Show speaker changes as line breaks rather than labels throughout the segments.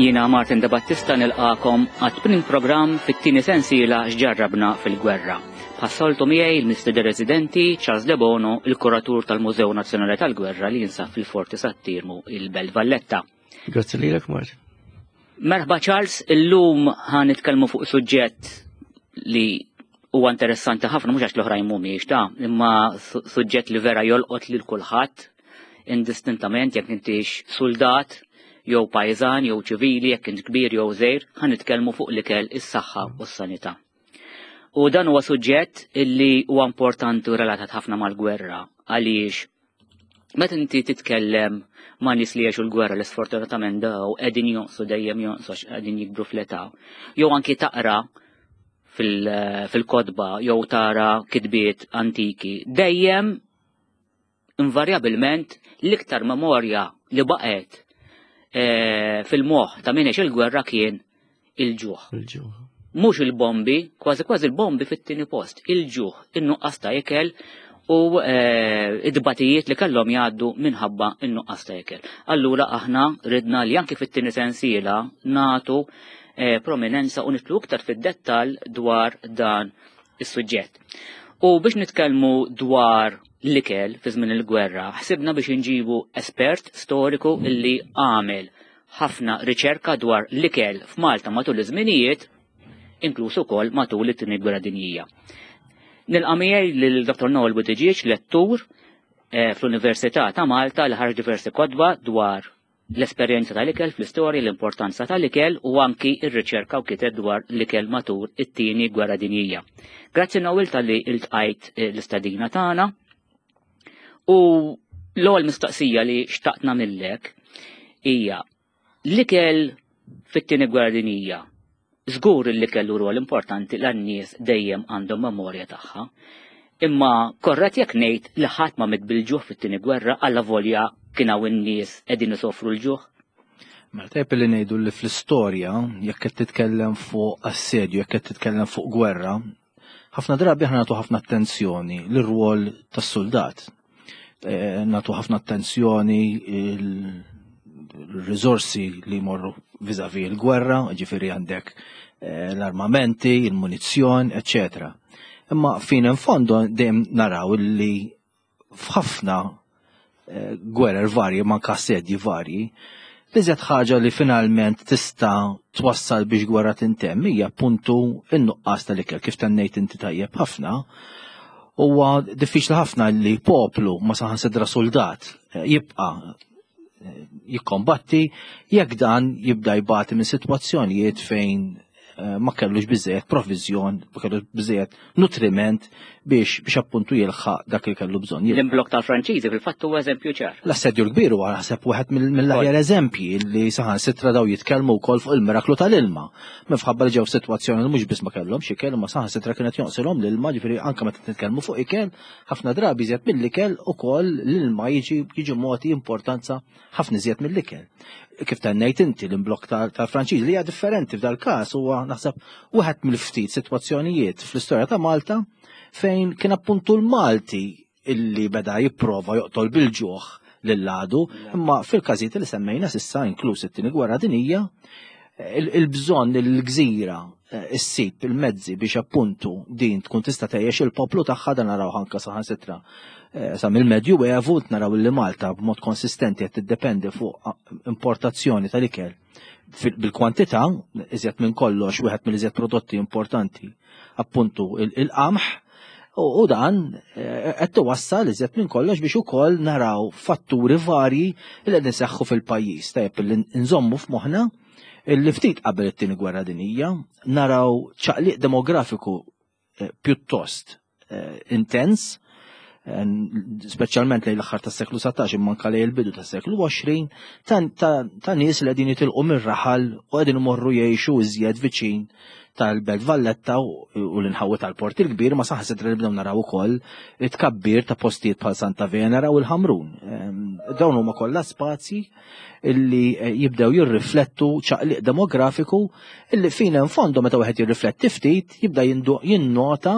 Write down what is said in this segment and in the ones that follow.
Jiena Martin De Battista nilqakom għat-tmien programm fit-tieni sensiela x'ġarrabna fil-gwerra. Bħas-soltu miegħi l-mistieden residenti Charles De Bono, il-kuratur tal-Mużew Nazzjonali tal-Gwerra li jinsab fil-Forti Sattirmu il-Belt Valletta.
Grazzi lilek Martin.
Merħba Charles, illum ħa nitkellmu fuq suġġett li huwa interessanti ħafna mhux għax l-oħrajn mhumiex ta' imma suġġett li vera jolqot lil kulħadd indistintament jekk intix soldat jew pajżan jew ċivili jekk int kbir jew żgħir, ħa nitkellmu fuq l-ikel, is-saħħa u s-sanità. U dan huwa suġġett illi huwa importanti u relatat ħafna mal-gwerra għaliex Meta inti titkellem ma' nies li jgħixu l-gwerra li sfortunatament daw qegħdin jonqsu dejjem jonqsu għax qegħdin jikbru fl-età, jew anki taqra fil-kotba jew tara kitbiet antiki, dejjem invarjabilment l-iktar memorja li baqgħet eh, fil-moħħ ta' min il-gwerra kien il-ġuħ.
Il-ġuħ.
Mhux il-bombi, kważi kważi il-bombi fit-tieni post, il-ġuħ, in-nuqqas ta' ikel u eh, id-batijiet li kellhom jgħaddu minħabba in-nuqqas ta' ikel. Allura aħna ridna li anki fit-tieni sensiela natu eh, prominenza u nitlu iktar fid-dettall dwar dan is-suġġett. U biex nitkellmu dwar l-ikel fi żmien il-gwerra, ħsibna biex inġibu espert storiku illi għamel ħafna riċerka dwar l-ikel f'Malta matul iż-żminijiet, inkluż ukoll matul it-Tieni Gwerra Dinjija. Nilqa' miegħi lil Dr. Noel Buttigieg, lettur eh, fl-Università ta' Malta li ħarġ diversi kotba dwar l-esperjenza tal-ikel fl-istorja, l-importanza tal-ikel u anki ir-riċerka u kiteb dwar l-ikel matul it-tieni gwerra dinjija. Grazzi Noel tal-li iltqajt eh, l-istadina tagħna. U l-ewwel mistoqsija li xtaqt nagħmillek hija l-ikel fit-tieni gwerra dinjija żgur li kellu rwol importanti l nies dejjem għandhom memorja tagħha. Imma korret jekk ngħid li ħadd ma mit bil-ġuħ fit-tieni gwerra alla volja kien hawn in-nies qegħdin isofru l-ġuħ.
Mela tajjeb li ngħidu li fl-istorja jekk qed titkellem fuq assedju, jekk qed titkellem fuq gwerra, ħafna drabi aħna nagħtu ħafna attenzjoni lir-rwol tas-suldat. Eh, nagħtu ħafna attenzjoni il-riżorsi li jmorru viżavi l-gwerra, ġifieri għandek eh, l-armamenti, il-munizzjon, eccetera. Imma fin in fondo dejjem naraw li f'ħafna eh, gwerer varji, ma assedji varji, l-iżjed ħaġa li finalment tista' twassal biex gwerra tintemm hija appuntu n-nuqqas tal-ikel kif tennejt inti tajjeb ħafna. Huwa diffiċli ħafna li poplu ma saħansidra soldat eh, jibqa' eh, jikkombatti jekk dan jibda jbati minn sitwazzjonijiet fejn Eh, ma kellux biżejjed provizjon, ma kellux biżejjed nutriment biex biex appuntu jilħaq dak li kellu bżonn.
L-imblok tal-Franċiżi fil-fatt huwa eżempju ċar.
L-assedju l-kbir huwa naħseb wieħed mill-aħjar eżempji li saħan sitra daw jitkellmu wkoll fuq il-miraklu tal-ilma. Minħabba li ġew f'sitwazzjoni li mhux biss ma kellhomx ikel, imma saħan sitra kienet jonqsilhom l-ilma, ġifieri anke meta nitkellmu fuq ikel, ħafna drabi iżjed mill-ikel ukoll l-ilma jiġi jiġi mogħti importanza ħafna iżjed mill-ikel. Kif tennejt inti l-imblok tal-Franċiż li hija differenti f'dal-każ huwa naħseb wieħed mill-ftit sitwazzjonijiet fl-istorja ta' Malta fejn kien appuntu l-Malti illi beda jipprova joqtol bil-ġuħ lill-għadu, imma fil-każijiet li semmejna sissa inkluż it-tieni gwerra dinija, il-bżonn il-gżira eh, issib il-mezzi biex appuntu din tkun tista' tgħejjex il-poplu tagħha dan naraw anke saħansitra eh, sa mill-Medju Evu naraw li Malta b'mod konsistenti qed tiddependi fuq importazzjoni tal-ikel bil-kwantità, iżjed minn kollox wieħed mill-iżjed prodotti importanti appuntu il-qamħ u dan eh, qed tiwassal iżjed minn kollox biex ukoll naraw fatturi varji li qed inseħħu fil-pajjiż. Tajjeb li nżommu f'moħħna li ftit qabel it-tieni gwerra dinjija naraw ċaqliq demografiku eh, pjuttost eh, intens, eh, speċjalment lejn l-aħħar tas-seklu 19 imma anke lejn il-bidu tas-seklu 20 ta' nies li qegħdin jitilqu mir-raħal u qegħdin imorru jgħixu iżjed viċin tal-Belt Valletta u l-inħawi tal-Port il-Kbir ma saħansitra li bdew naraw ukoll it-tkabbir ta' postijiet bħal Santa Venera u l-Ħamrun. Ehm, dawn huma kollha spazji illi eh, jibdew jirriflettu ċaqliq demografiku illi fina in fondo meta wieħed jirrifletti ftit jibda jinnota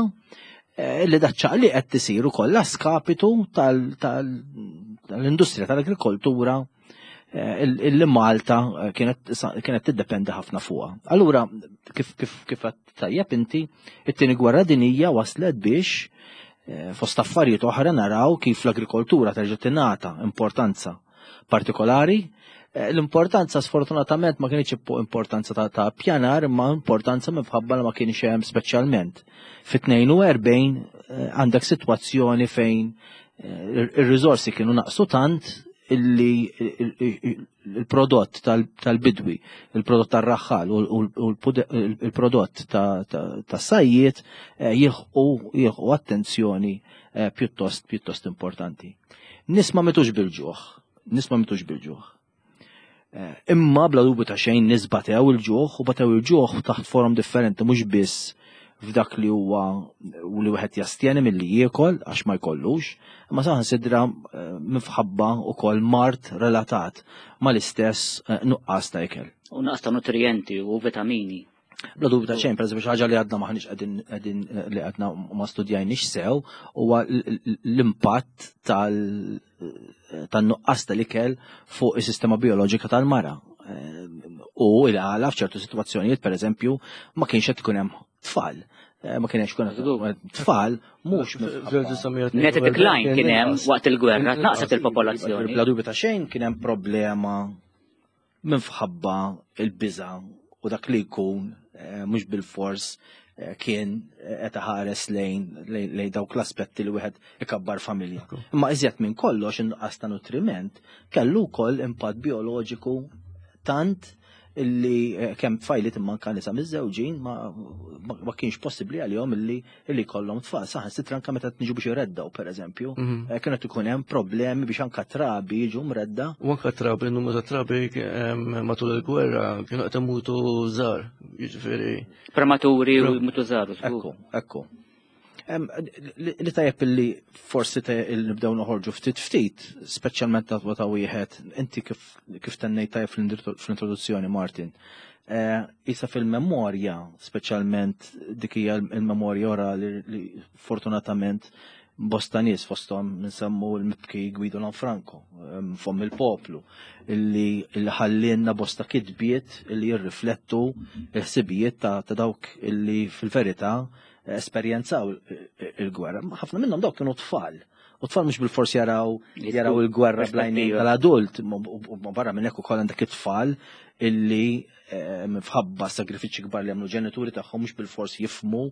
eh, illi dak ċaqliq qed tisir ukoll skapitu tal-industrija tal-agrikoltura. Illi Malta kienet tiddependi ħafna fuqha. Allura kif kif kif tajjeb inti, it-tieni gwerra dinija waslet biex fost affarijiet oħra naraw kif l-agrikoltura terġa' tingħata importanza partikolari. L-importanza sfortunatament ma kienx importanza ta' pjanar imma importanza minħabba li ma kienx hemm speċjalment. Fit-42 għandek sitwazzjoni fejn ir-riżorsi kienu naqsu tant illi il-prodott tal-bidwi, il-prodott tar-raħħal u l-prodott tas-sajjiet jilħqu attenzjoni pjuttost pjuttost importanti. Nies ma mitux bil-ġuħ, nies ma mitux bil-ġuħ. Imma bla dubju ta' xejn nies batew il-ġuħ u batew il-ġuħ taħt forom differenti mhux biss f'dak li huwa u li wieħed jastjeni milli jiekol għax ma jkollux, imma saħansitra minħabba wkoll mard relatat mal-istess nuqqas ta' ikel.
U nuqqas ta' nutrijenti u vitamini.
Bla dubju ta' xejn, pereżempju xi ħaġa li għadna maħniex qegħdin qegħdin li għadna ma studjajniex sew huwa l-impatt tan-nuqqas tal-ikel fuq is-sistema bioloġika tal-mara. U il-għala f'ċertu sitwazzjonijiet, pereżempju, ma kienx qed ikun hemm tfal. Ma kienx ikun hemm tfal mhux
Net decline kien hemm waqt il-gwerra, naqset il-popolazzjoni.
Bla dubju ta' xejn kien hemm problema minħabba il-biża' u dak li jkun mhux bilfors kien qed iħares lejn lejn dawk l-aspetti li wieħed ikabbar familja. Imma iżjed minn kollox in-nuqqas ta' nutriment kellu wkoll impatt bioloġiku tant illi kemm tfajliet imma anke nisa miżżewġin ma, ma kienx possibbli għalihom illi illi jkollhom tfal. Saħansitra anke meta niġu biex ireddaw pereżempju, kienet ikun hemm problemi biex anke trabi jiġu mredda.
U anke trabi, numru ta' trabi matul il-gwerra kienu qed imutu żgħar, jiġifieri.
Prematuri u jmutu żgħar.
Ekku, ekku. Li tajjeb illi forsi nibdew noħorġu ftit ftit, speċjalment ta' ta' wieħed, inti kif kif tennejt tajjeb fl-introduzzjoni, Martin. Isa fil-memorja, speċjalment dik hija il-memorja orali li fortunatament bosta nies fosthom nsemmu l-mibki Guido Lanfranco, fomm il-poplu, illi ħallielna bosta kitbiet illi jirriflettu l-ħsibijiet ta' dawk illi fil-verità esperjenzaw il-gwerra. Ħafna minnhom dawk kienu tfal. U tfal mhux bil-fors jaraw jaraw il-gwerra bl-għajnejn tal-adult, u barra minn hekk ukoll għandek it-tfal illi minħabba sagrifiċċji kbar li għamlu ġenituri tagħhom mhux bil-fors jifhmu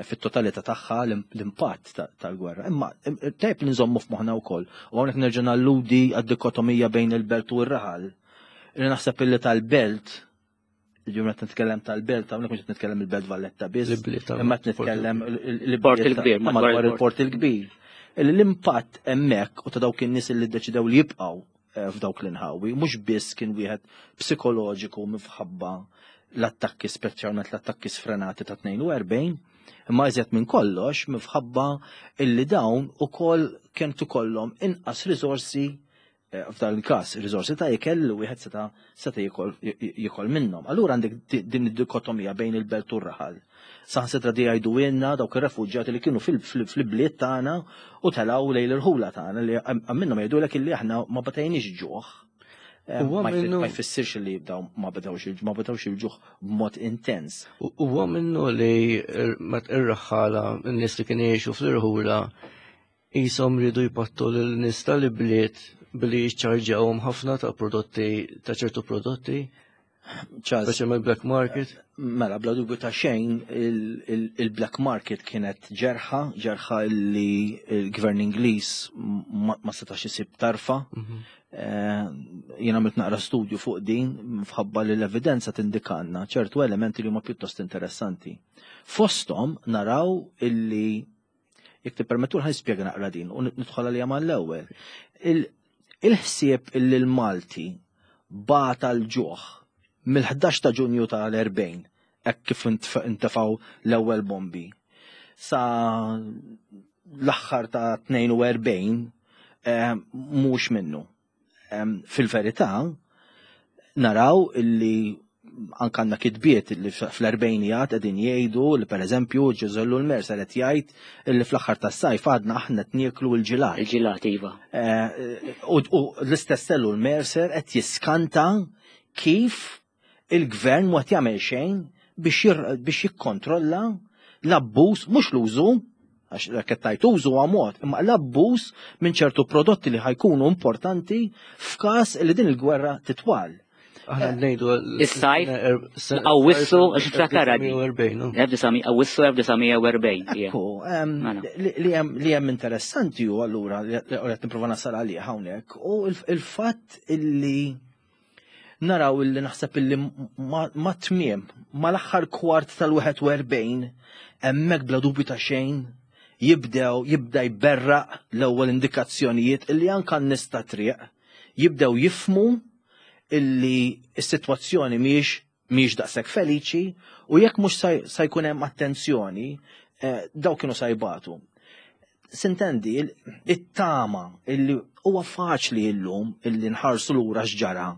fit-totalità tagħha l-impatt tal-gwerra. Imma tajjeb li nżommu f'moħħna wkoll. U hawnhekk nerġa' nalludi għad-dikotomija bejn il-belt u r-raħal. Li naħseb illi tal-belt, ġi meta nitkellem tal-belt, hawnhekk mhux qed nitkellem il-Belt Valletta biss, imma qed nitkellem
il-Port il-Kbir,
madwar il-Port il-Kbir. L-impatt hemmhekk u ta' dawk in-nies li ddeċidew li jibqgħu f'dawk l-inħawi, mhux biss kien wieħed psikoloġiku minħabba l-attakki, speċjalment l-attakki sfrenati ta' 42, imma iżjed minn kollox minħabba illi dawn ukoll kien ikollhom inqas riżorsi f'dan il-każ riżorsi ta' ikel li wieħed seta' seta' jiekol minnhom. Allura għandek din id-dikotomija bejn il-belt u r-raħal. Saħansitra di jgħidu ilna dawk ir-refuġjati li kienu fil-bliet tagħna u telgħu lejn l-irħula tagħna li minnhom jgħidulek illi aħna ma batejniex ġuħ. Ma jfissirx li daw ma bedewx ma bedewx il-ġuħ b'mod intens.
Huwa minnu li ir-raħħala n-nies li kienu jgħixu fl-irħula qishom riedu jpattu lil nies tal-ibliet billi jiċċarġawhom ħafna ta' prodotti ta' ċertu prodotti. Speċjalment black market.
Mela, bla dubju ta' xejn, il-black market kienet ġerħa, ġerħa li l-gvern Ingliż ma setax isib tarfa. Jien għamilt naqra studju fuq din, fħabba li l-evidenza tindikanna ċertu elementi li huma pjuttost interessanti. Fosthom naraw illi Jekk tippermettu ħa nispjega naqra din u nidħol għalija mal-ewwel. Il-ħsieb illi l-Malti bata l-ġuħ mill-11 ta' Ġunju tal-40 hekk kif intefgħu l-ewwel bombi sa l-aħħar ta' 42 mhux minnu. Fil-verità naraw illi anka għandna kitbiet li fl-erbgħinijat qegħdin jgħidu li pereżempju Ġużè Ellul Mercer qed jgħid li fl-aħħar tas-sajf għadna aħna qed nieklu l-ġilat.
Il-ġilat, iva.
U l-istess Ellul Mercer qed jiskanta kif il-gvern ma qed jagħmel xejn biex jikkontrolla l-abbuż, mhux l-użu, għax dak qed tgħid użu huwa mod, imma l-abbuż minn ċertu prodotti li ħajkunu importanti f'każ li din il-gwerra titwal.
Aħna ngħidu
Is-sajf, Awwissu, għax niftakar għadni. 1940, Awwissu 1940.
Ekku, mela. li hemm interessanti u allura li qed nipprova nasal għalih hawnhekk u il-fatt illi naraw illi naħseb illi ma tmiem mal-aħħar kwart tal-41 hemmhekk bla dubju ta' xejn jibdew jibda jberraq l-ewwel indikazzjonijiet illi anka n-nies ta' triq jibdew jifmu illi s-sitwazzjoni mhijiex mhijiex daqshekk feliċi u jekk mhux sa jkun hemm attenzjoni eh, daw kienu sa jbatu. Sintendi, it-tama illi huwa faċli illum illi nħarsu lura x'ġara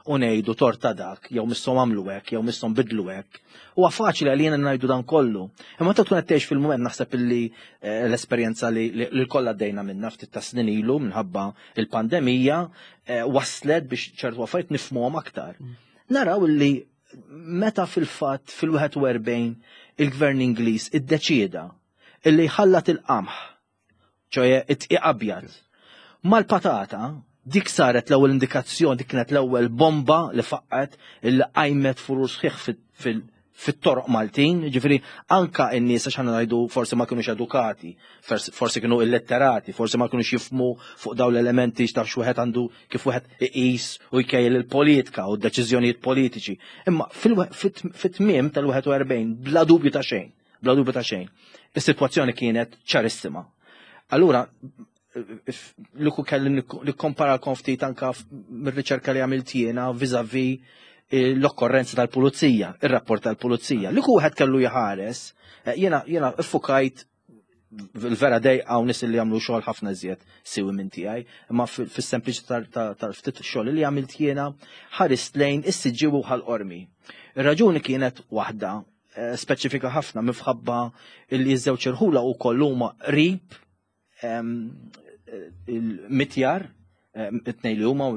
u ngħidu torta dak, jew misshom għamlu hekk, jew misshom bidlu hekk. Huwa faċli għalina ngħidu dan kollu. Imma ta' tkun qed tgħix fil-mument naħseb illi eh, l-esperjenza li l-kollha għaddejna minna ftit ta' snin ilu minħabba il-pandemija eh, waslet biex ċertu affarijiet nifhmuhom aktar. Mm. Naraw illi meta fil-fatt fil-41 il-gvern Ingliż iddeċieda illi jħallat il-qamħ, ċoje it-tqiq abjad, mal-patata, dik saret l-ewwel indikazzjoni, dik kienet l-ewwel bomba li faqqet illi qajmet furur sħiħ fit-toroq Maltin, ġifieri anka n-nies għax ħana ngħidu forsi ma kinux edukati, forsi kienu illetterati, forsi ma kinux jifmu fuq dawn l-elementi x'taf x'wieħed għandu kif wieħed iqis u jkejjel il-politika u d-deċiżjonijiet politiċi. Imma fit-tmiem tal-41 bla dubju ta' xejn, bla dubju ta' xejn, is-sitwazzjoni kienet ċarissima. Allura, li ku kelli nikkompara ftit anka mir-riċerka li għamilt jiena vis-a-vis eh, l-okkorrenza tal-pulizija, ir-rapport tal-pulizija. Li ku wieħed kellu jħares, eh, jiena jiena iffukajt il-vera dej għaw nis li għamlu xogħol ħafna iżjed siwi minn tiegħi, imma fis-sempliċi tal-ftit xogħol li għamilt jiena ħarist lejn is-siġġiewi u ħal-qormi. Ir-raġuni kienet waħda eh, speċifika ħafna mifħabba li ż-żewġ irħula u huma qrib il-mitjar, it-tnej li huma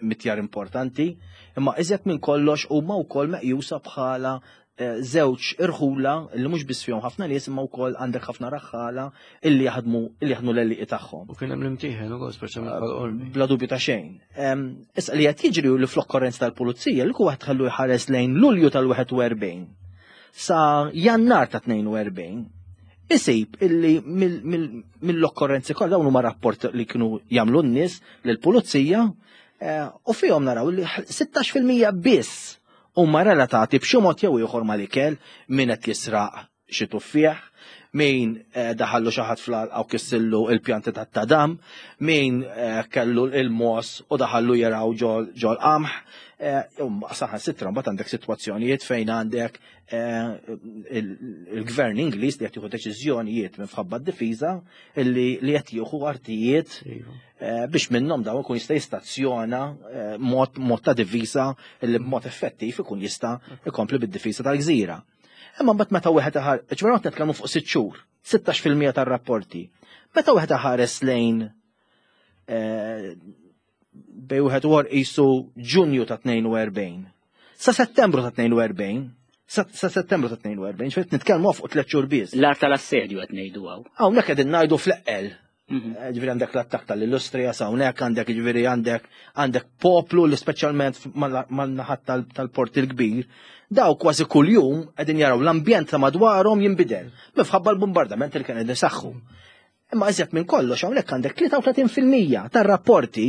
mitjar importanti, imma iżjed minn kollox huma wkoll meqjusa bħala eh, żewġ irħula li mhux biss fihom ħafna nies imma wkoll għandek ħafna raħħala illi jaħdmu illi jaħdmu l-għelieqi tagħhom.
U kien hemm l-imtieħen ukoll speċjalment bħal-qormi.
Bla dubju ta' xejn. Issa li qed jiġri li fl-okkorrenza tal-pulizija li wieħed ħallu jħares lejn Lulju tal-41 sa Jannar ta' 42 isib illi mill-okkorrenzi kollha dawn huma rapport li kienu jagħmlu n-nies lill-pulizija eh, u fihom naraw li 16% biss huma relatati b'xi mod jew ieħor mal-ikel min qed jisraq xi tuffieħ, min eh, daħallu xi ħadd fl-għalqa u kissillu il-pjanti tat-tadam, min eh, kellu il-mos u daħallu jaraw ġol qamħ, saħan sitra mbagħad għandek sitwazzjonijiet fejn għandek Eh, il-gvern Ingliż li qed jieħu deċiżjonijiet minħabba d-difiża li qed jieħu artijiet iva. eh, biex minnhom dawn ikun jista' jistazzjona eh, mod mod ta' difiża li b'mod effettiv ikun jista' ikompli bid-difiża tal-gżira. Imma mbagħad meta wieħed iħar, ġifieri qed nitkellmu fuq sitt xhur, 16% tar-rapporti. Meta wieħed iħares lejn bej wieħed u qisu Ġunju ta' 42. Sa Settembru ta' 42, sa Settembru ta' 42, ġifieri nitkellmu fuq tliet xhur biss.
L-art tal-assedju qed ngħidu hawn.
Hawnhekk qegħdin ngħidu fl-eqqel. Mhm. Eh, ġifieri għandek l-attakk tal-Illustrija sa hawnhekk għandek ġifieri għandek għandek poplu li speċjalment man-naħat tal-port il-kbir, daw kważi kuljum qegħdin jaraw l-ambjent ta' madwarhom jinbidel minħabba l-bombardament li kien qegħdin isaħħu. Imma iżjed minn kollox hawnhekk għandek 33% tar-rapporti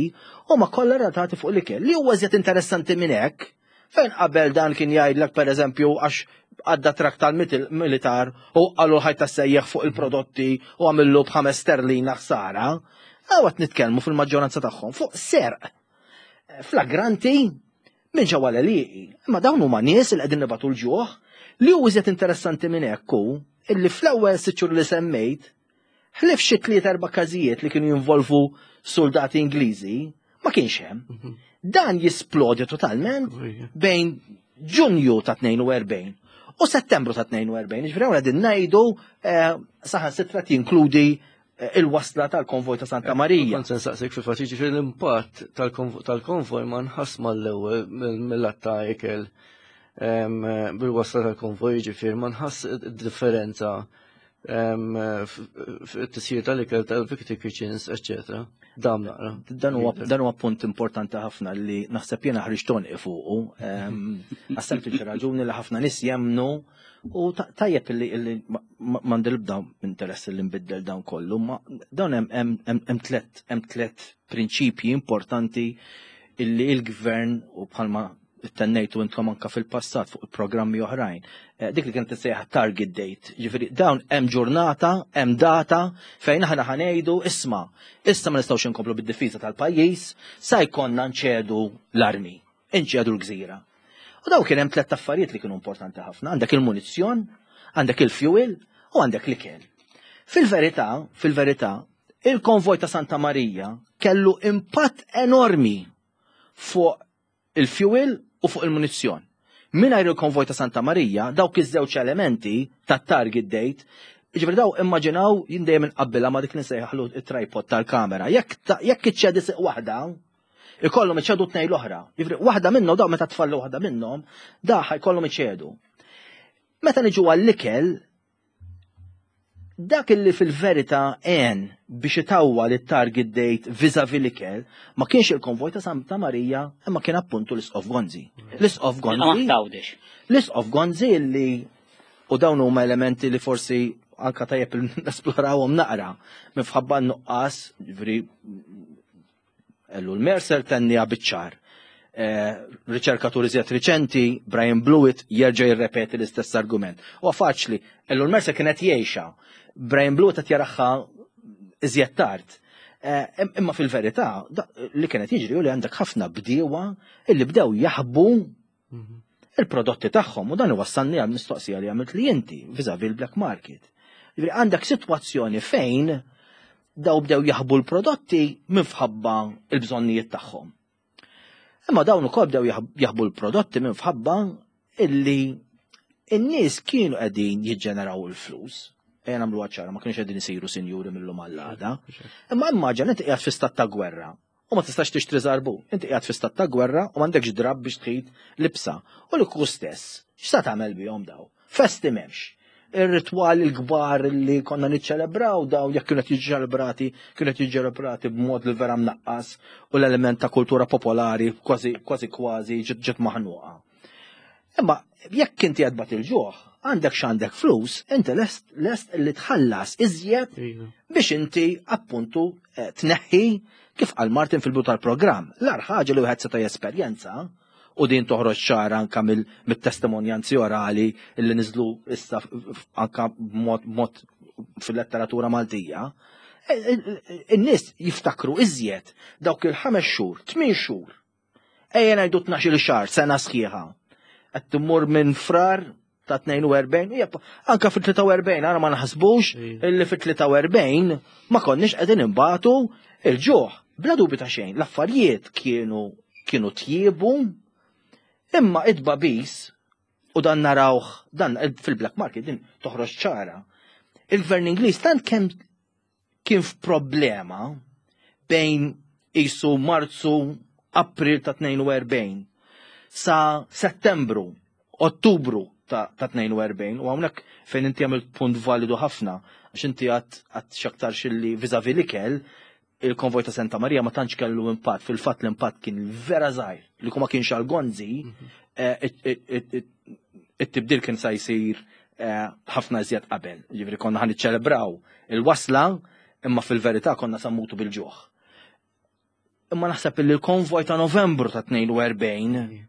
huma kollha relatati fuq l-ikel. Li huwa iżjed interessanti minn hekk, fejn qabel dan kien jgħidlek pereżempju għax għadda trak tal-militar u qalu ħajta sejjeħ fuq il-prodotti u għamillu b'ħames sterlina ħsara, għawat nitkellmu fil-maġġoranza tagħhom fuq serq flagranti minn ġewwa l-għelieqi. Imma dawn huma nies li qegħdin nibatu l-ġuħ li hu iżjed interessanti minn hekk hu illi fl-ewwel sitt xhur li semmejt ħlief xi tliet erba' każijiet li kienu jinvolvu soldati Ingliżi ma kienx hemm. Mhm. Dan jisplodi totalment bejn Ġunju ta' 42 u Settembru ta' 42. Ġifieri hawn qegħdin ngħidu eh, saħansitra jinkludi eh, il-wasla tal-konvoj ta' Santa Marija.
Kont se nsaqsik fil-fatt jiġifieri l-impatt tal-konvoj ma nħass mal-ewwel mill-att ta' ikel bil-wasla tal-konvoj jiġifieri ma nħass differenza fit-tisjir tal-ikel tal-Victory Kitchens, eccetera. Dam naqra.
Dan huwa punt importanti ħafna li naħseb jiena ħriġt tonqi fuqu. Għas-sempliċi raġuni li ħafna nies jemmnu u tajjeb li m'għandi l-ebda interess li nbiddel dan kollu, ma dawn hemm tliet prinċipji importanti illi il-gvern u bħalma tennejtu intkom anka fil-passat fuq programmi oħrajn. Eh, dik li kienet tissejjaħ target date, ġifieri dawn hemm ġurnata, hemm data fejn aħna ħanejdu isma' issa ma nistgħux inkomplu bid-difiża tal-pajjiż, sa jkollna nċedu l-armi, inċedu l-gżira. U daw kien hemm tliet affarijiet li kienu importanti ħafna, għandek il-munizzjon, għandek il-fuel u għandek l-ikel. Fil-verità, fil-verità, il-konvoj ta' Santa Marija kellu impatt enormi fuq il-fuel u fuq il-munizzjon. Mingħajr il-konvoj ta' Santa Marija, dawk iż-żewġ elementi ta' target date, ġifieri daw immaġinaw jien dejjem inqabbilha ma' dik li nsejjaħlu it-tripod tal-kamera. Jekk iċċedi siq waħda, ikollhom iċedu tnejn l-oħra. Ġifieri waħda minnhom daw meta tfallu waħda minnhom, da ħajkollhom iċedu. Meta niġu għall-ikel, Dak illi fil-verità għen biex itawwal it-target date vis-a-vis l-ikel ma kienx il-konvoj ta' Santa Marija imma kien appuntu l-Isqof Gonzi. L-Isqof Gonzi. L-Isqof Gonzi li u dawn huma elementi li forsi anka tajjeb nesplorawhom naqra minħabba n-nuqqas, ġifieri Ellul Mercer tenniha biċ-ċar. Eh, riċerkatur iżjed riċenti, Brian Blewett, jerġa' jirrepeti l-istess argument. Huwa faċli, Ellul Mercer kienet jgħixha. Brian Blewett qed jaraħħa iżjed tard. Eh, imma fil-verità, li kienet jiġri u li għandek ħafna bdiewa illi bdew jaħbu mhm. il-prodotti tagħhom u dan iwassalni għal mistoqsija li għamilt li inti viżavi l-black market. Għandek sitwazzjoni fejn daw bdew jaħbu l-prodotti minfħabba il-bżonnijiet tagħhom. Imma dawn ukoll bdew jaħbu l-prodotti minfħabba illi in-nies kienu qegħdin jiġġeneraw il-flus. Ejja nagħmlu ċara, ma kienux qegħdin isiru sinjuri mill-lum għall-għada. Imma immaġina inti qiegħed fi stat ta' gwerra u ma tistax tixtri żarbun. Inti qiegħed fi stat ta' gwerra u m'għandekx drapp biex tħit libsa. U li kieku stess, x'sa tagħmel bihom daw? Festi m'hemmx. Ir-ritwali l-kbar li konna niċċelebraw daw jekk kienu qed jiġġelebrati, kienu qed jiġġelebrati b'mod li vera mnaqqas u l-element ta' kultura popolari kważi kważi kważi ġiet maħnuqa. Imma jekk inti qed tbati l-ġuħ, għandek x'għandek flus, inti lest lest li tħallas iżjed iva. biex inti appuntu eh, tneħħi kif qal Martin fil-bidu tal-programm. L-ar ħaġa li wieħed seta' jesperjenza u din toħroġ ċara anka mill-testimonjanzi orali li niżlu issa anka b'mod fil-letteratura Maltija, eh, eh, in-nies jiftakru iżjed dawk il-ħames xhur, tmien xhur Ejja ngħidu 12-il xahar, sena sħiħa. Qed timmur minn frar ta' 42, jep, anka fil-43, għara ma naħsbux illi fil-43 ma konniex qegħdin imbatu il-ġuħ. Bla dubju ta' xejn, l-affarijiet kienu kienu tjiebu, imma id-babis u dan narawh dan fil-black market din toħroġ ċara. Il-gvern Ingliż tant kemm kien f'problema bejn qisu Marzu, April ta' 42 sa Settembru, Ottubru ta' 42 u hawnhekk fejn inti għamilt punt validu ħafna għax inti għat x'aktar xilli viżavi l-ikel il-konvoj ta' Santa Maria ma tantx kellu impatt, fil-fatt l-impatt kien vera żgħir li kuma kienx għal Gonzi mhm. eh, it-tibdil kien sa jsir eh, ħafna iżjed qabel. Ġifieri konna ħan niċċelebraw il-wasla imma fil-verità konna sammutu bil-ġuħ. Imma naħseb li l-konvoj ta' Novembru ta' 42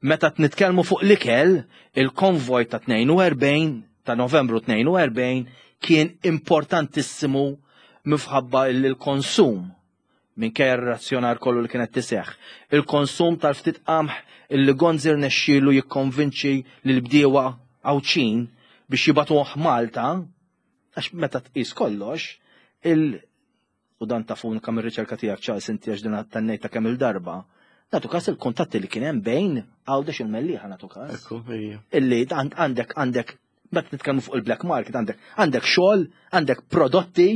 meta nitkellmu fuq l-ikel, il-konvoj ta' 42 ta' Novembru 42 kien importantissimu mifħabba l-konsum minkejja r-razzjonar kollu li kienet tiseħħ. Il-konsum tal-ftit qamħ illi Gonzi rnexxielu jikkonvinċi lill-bdiewa Għawdxin biex jibagħtuh Malta, għax meta tqis kollox, il u dan tafu anke mir-riċerka tiegħek Charles inti għax din tennejtha kemm-il darba, Nagħtu każ il-kuntatti li kien hemm bejn Għawdex il-Mellieħa nagħtu każ. Illi għandek għandek meta nitkellmu fuq il-black market għandek għandek xogħol, għandek prodotti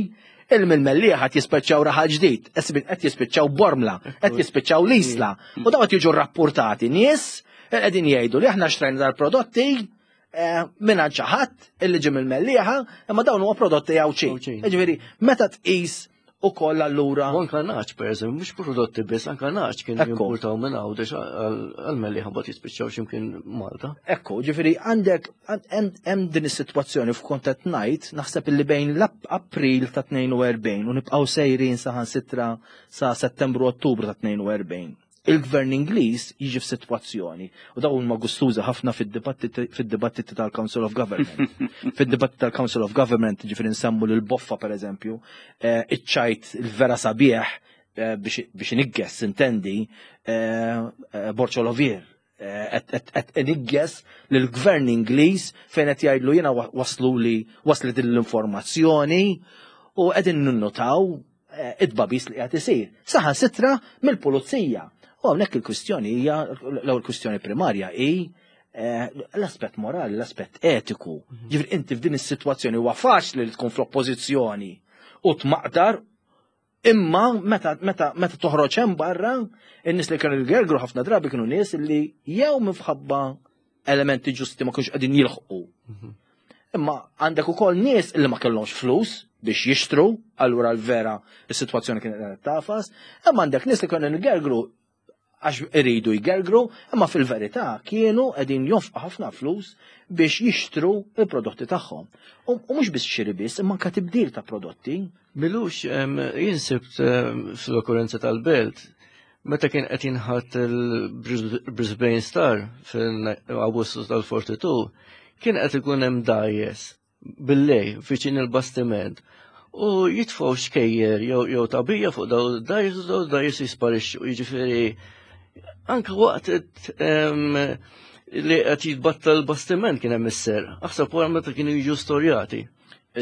il mill-Mellieħa qed jispiċċaw raħal ġdid, qed jispiċċaw Bormla, qed jispiċċaw l-Isla. U dawn qed jiġu rrappurtati nies qegħdin jgħidu li aħna xtrajna dal-prodotti eh, minn xi ħadd illi ġie mill-Mellieħa, imma dawn huwa prodotti Għawdxin. Jiġifieri meta tqis ukoll allura.
U anka naċ, per eżempju, mhux prodotti biss, anka naċ kien jimportaw minn Għawdex għal-Mellieħa mbagħad jispiċċaw x'imkien Malta.
Ekku, ġifieri għandek hemm din is-sitwazzjoni f'kont qed ngħid, naħseb illi bejn l-April ta' 42 u nibqgħu sejrin saħansitra sa Settembru Ottubru ta' 42 il-gvern Ingliż jiġi f'sitwazzjoni u dawn huma gustużi ħafna fid-dibattiti tal-Council of Government. Fid-dibattiti tal-Council of Government, ġifieri nsemmu lil Boffa pereżempju, eh, iċ-ċajt il-vera sabiħ eh, biex inigges intendi eh, Borċolovier qed inigges lill-gvern Ingliż fejn qed jgħidlu jiena waslu li waslet l-informazzjoni u qegħdin ninnotaw Eh, it-tbabis li qiegħed isir. Saħan sitra mill-pulizija. U hawnhekk il-kwistjoni hija l-ewwel kwistjoni primarja hi eh, l-aspett morali, l-aspett etiku. Mhm. Ġifieri inti f'din is-sitwazzjoni huwa faċli li tkun fl-oppożizzjoni u tmaqdar imma meta meta meta toħroġ hemm barra, in-nies li kienu jgergru ħafna drabi kienu nies li jew minħabba elementi ġusti ma kienx qegħdin jilħqu. Mhm. Imma għandek ukoll nies li ma kellhomx flus biex jixtru, allura l-vera is-sitwazzjoni kienet qed tafas, imma għandek nies li kienu jgergru għax iridu jgergru, imma fil-verità kienu qegħdin jonfqu ħafna flus biex jixtru il-prodotti tagħhom. U mhux biss xiri biss, imma anke tibdil ta' prodotti.
Milux jien sibt fl-okkurrenza tal-belt Meta kien qed jinħatt il-Brisbane Star fil-Awwissu tal-42, kien qed ikun hemm dgħajjes bil-lej viċin il-bastiment u jitfgħu xkejjer jew tagħbija fuq daw id-dgħajjes u daw id-dgħajjes jisparixxu. Jiġifieri anke waqt li qed jitbatta l-bastiment kien hemm is-ser. Aħseb wara meta kienu jiġu storjati.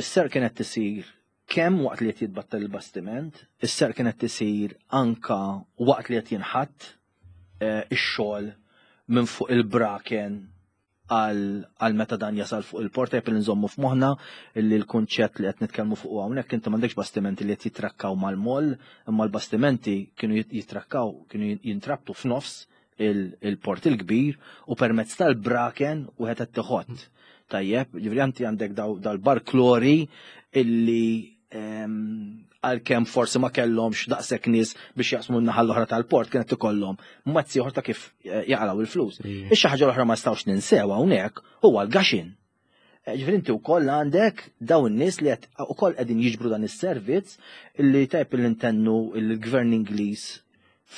Is-ser kienet tisir kemm waqt li qed jitbattal il-bastiment, is-serq kienet isir anka waqt li qed jinħatt eh, ix-xogħol minn fuq il-braken għal meta dan jasal fuq il-port tajjeb li nżommu f'moħħna li l-kunċett li qed nitkellmu fuq hawnhekk inti m'għandekx bastimenti li qed jitrakkaw mal-moll, imma l-bastimenti kienu jitrakkaw, kienu jintrabtu f'nofs il-port il-kbir u permezz tal-braken u qed tiħott. Tajjeb, ġifieri anti għandek dal-barklori illi ehm, għalkemm forsi ma kellhomx daqshekk nies biex jaqsmu n-naħa l-oħra tal-port kienet ikollhom mazzi oħra ta' kif eh, jaqalgħu il-flus. Ix ħaġa l-oħra ma nistgħux ninsew hawnhekk huwa l-gaxin. Eh, ġifieri inti wkoll għandek dawn in-nies li qed ukoll qegħdin jiġbru dan is-servizz illi tajb li ntennu il-gvern Ingliż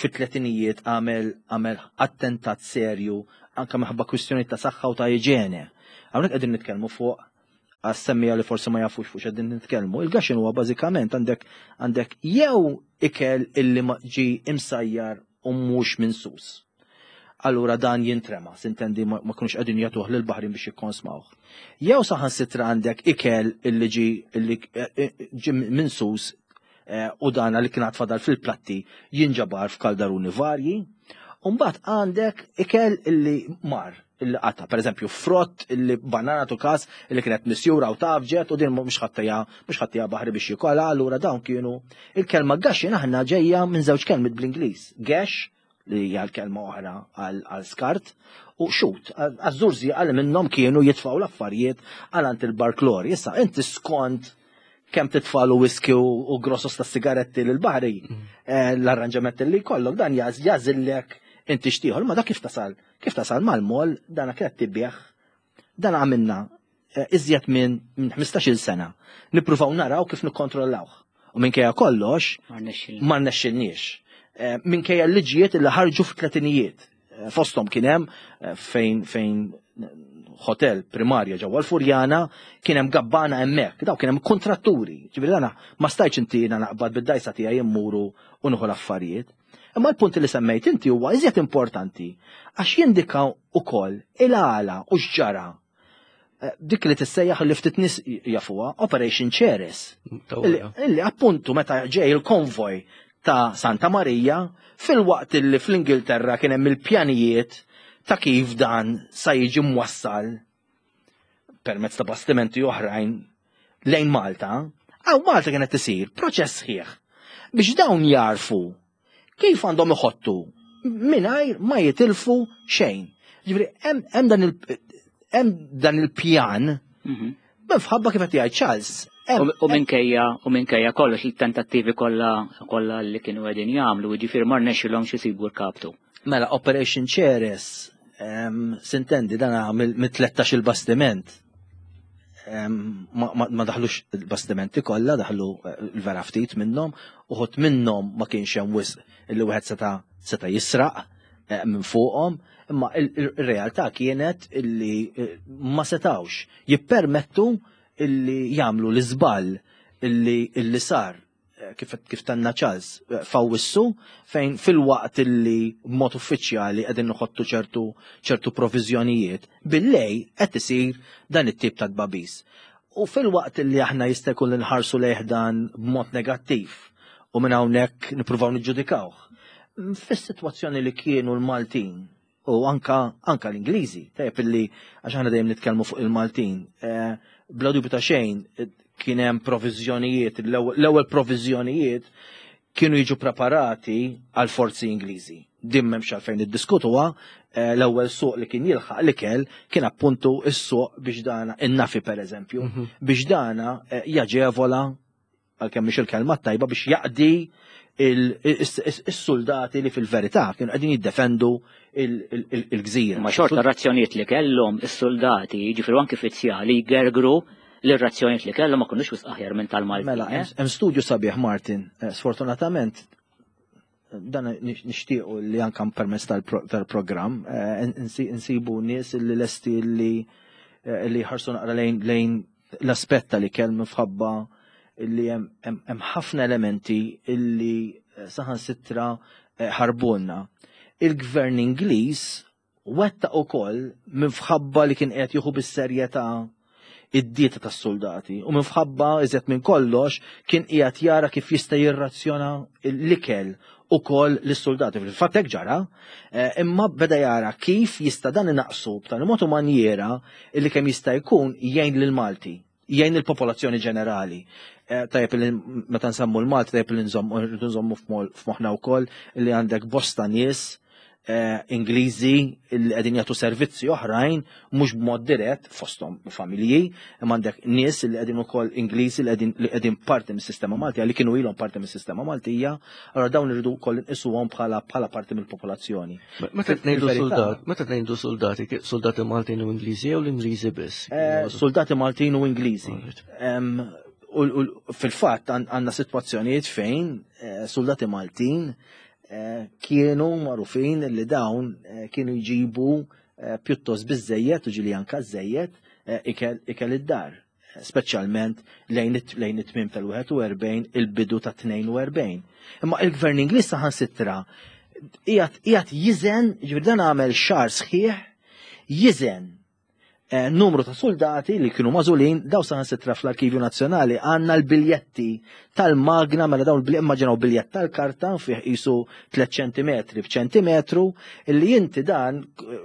fit-tletinijiet għamel għamel attentat serju anke minħabba kwistjoni ta' saħħa u ta' iġene. Hawnhekk qegħdin nitkellmu fuq għas-semmija li forsi ma jafux fuq x'qegħdin nitkellmu. Il-gaxin huwa bażikament għandek għandek jew ikel illi ġi imsajjar u mhux minsus. Allura dan jintrema, sintendi ma kunux qegħdin jagħtuh lil baħrin biex jikkonsmawh. Jew saħansitra għandek ikel illi ġi illi eh, eh, ġi minsus eh, u dan li kien fadal fil-platti jinġabar f'kaldaruni varji. Umbagħad għandek ikel illi mar illi qata, per eżempju, frott illi banana tu kas illi kienet misjura u tafġet u din mhux ħattija mhux ħattija baħri biex jikolha, allura dawn kienu il-kelma gaxin aħna ġejja minn żewġ kelmiet bl-Ingliż. Gash li hija l-kelma oħra għal skart u xut, għaż-żurżi għal minnhom kienu jitfgħu l-affarijiet għal għand il-barklor. Issa inti skont kemm titfalu whisky u grossos ta' sigaretti lil baħri, mm. eh, l-arranġament li jkollok dan jażillek inti xtieħor, ma dak kif tasal Kif tasal mal-mol, dana kienet tibieħ, dan għamilna eh, iżjed minn 15-il sena. Nippruvaw naraw kif nikkontrollawh. U minkejja kollox, ma rnexxilniex. Eh, minkejja l-liġijiet li ħarġu fit-tletinijiet. Eh, fosthom kien hemm fejn fejn hotel primarja ġewwa l-Furjana kien hemm gabbana hemmhekk, daw kien hemm kontratturi. Ġifieri dana ma stajtx inti jiena naqbad bid-dajsa tiegħi immuru u nieħu l-affarijiet. Imma l-punt li semmejt inti huwa iżjed importanti għax jindika wkoll il-għala u x'ġara. Eh, dik li tissejjaħ li ftit nies jafuha Operation Ceres. Illi appuntu meta ġej il-konvoj ta' Santa Marija filwaqt li fl-Ingilterra kien hemm il-pjanijiet ta' kif dan sa jiġi mwassal permezz ta' bastimenti oħrajn lejn Malta, hawn Malta kienet isir proċess sħiħ biex dawn jarfu kif għandhom iħottu mingħajr ma jitilfu xejn. Ġifieri hemm dan il-pjan mhm. minħabba kif qed jgħid Charles.
U minkejja u minkejja kollox il-tentattivi kollha kollha li kienu qegħdin jagħmlu, jiġifieri ma rnexxilhomx isibu l-kaptu.
Mela Operation Ceres sintendi dan mit-13 il-bastiment ma daħlux il-bastimenti kollha, daħlu eh, l-vera ftit minnhom, uħut minnhom ma kienx hemm wisq illi wieħed seta' seta' jisraq eh, minn fuqhom, imma il-realtà kienet illi eh, ma setawx jippermettu illi jagħmlu l-iżball illi sar Eh, kif, kif tanna Charles eh, fawissu fejn fil-waqt illi b'mod uffiċjali qegħdin noħottu ċertu ċertu proviżjonijiet billej qed isir dan it-tip ta' tbabis. U fil-waqt illi aħna jista' jkun li nħarsu lejh dan b'mod negattiv u minn hawnhekk nippruvaw niġġudikawh. Fis-sitwazzjoni li kienu l-Maltin u anka anka l-Ingliżi, tajjeb illi għax aħna dejjem nitkellmu fuq il-Maltin, eh, bla dubju ta' xejn eh, kien hemm proviżjonijiet, l-ewwel proviżjonijiet kienu jiġu preparati għal forzi Ingliżi. Din m'hemmx għalfejn niddiskutuha, eh, l-ewwel suq li kien jilħaq l-ikel kien appuntu s-suq biex dana in-nafi pereżempju, mhm. biex dana jaġevola għalkemm mhix il-kelma tajba biex jaqdi is-soldati li fil-verità kienu qegħdin jiddefendu il-gżira.
Ma xorta razzjonijiet li kellhom is-soldati, jiġifieri anki fizzjali jgergru li r-razzjonijiet li kellhom ma kinux wisq aħjar minn tal-Malti.
Mela, eh? hemm studju sabiħ Martin, eh, sfortunatament dan nixtiequ li anka permezz tal-programm eh, insibu nies li lesti li eh, li ħarsu naqra lejn lejn l-aspett tal-ikel minħabba li hemm ħafna elementi illi eh, saħansitra ħarbulna. Il-gvern Ingliż Wettaq ukoll minfħabba li kien qiegħed jieħu bis-serjetà id-dieta tas-suldati u minfħabba iżjed minn kollox kien qiegħed jara kif jista' jirrazzjona l-ikel ukoll lis-suldati. Fil-fatt hekk ġara, eh, imma beda jara kif jista' dan inaqsu b'tali mod u manjiera li kemm jista' jkun jgħin lil Malti jgħin il-popolazzjoni ġenerali. Eh, tajjeb li meta nsemmu l-Malti tajjeb li nżommu f'moħħna wkoll li għandek bosta nies eh, Ingliżi li qegħdin jagħtu servizzi oħrajn mhux b'mod dirett fosthom familji, imma għandek nies li qegħdin ukoll Ingliżi li qegħdin li qegħdin parti mis-sistema Maltija li kienu ilhom parti mis-sistema Maltija, allura dawn irridu wkoll inqisuhom bħala bħala parti mill-popolazzjoni.
Meta tnejdu soldat, meta tnejdu soldati, soldati Maltin u Ingliżi jew l-Ingliżi biss?
Eh, soldati Maltin u Ingliżi. U fil-fatt għandna sitwazzjonijiet fejn eh, soldati Maltin eh, kienu magħrufin li dawn kienu jġibu pjuttost biżejjed u ġili anka żejjed ikel id-dar speċjalment lejn it-tmiem tal-41 il-bidu ta' 42. Imma il-gvern Ingliż saħansitra qiegħed jiżen, ġifieri dan għamel xahar sħiħ jiżen eh, numru ta' soldati li kienu mażulin daw saħansitra fl-Arkivju Nazzjonali għandna l-biljetti tal-magna mela dawn immaġinaw biljett tal-karta fih qisu 3 ċentimetri b'ċentimetru illi inti dan eh,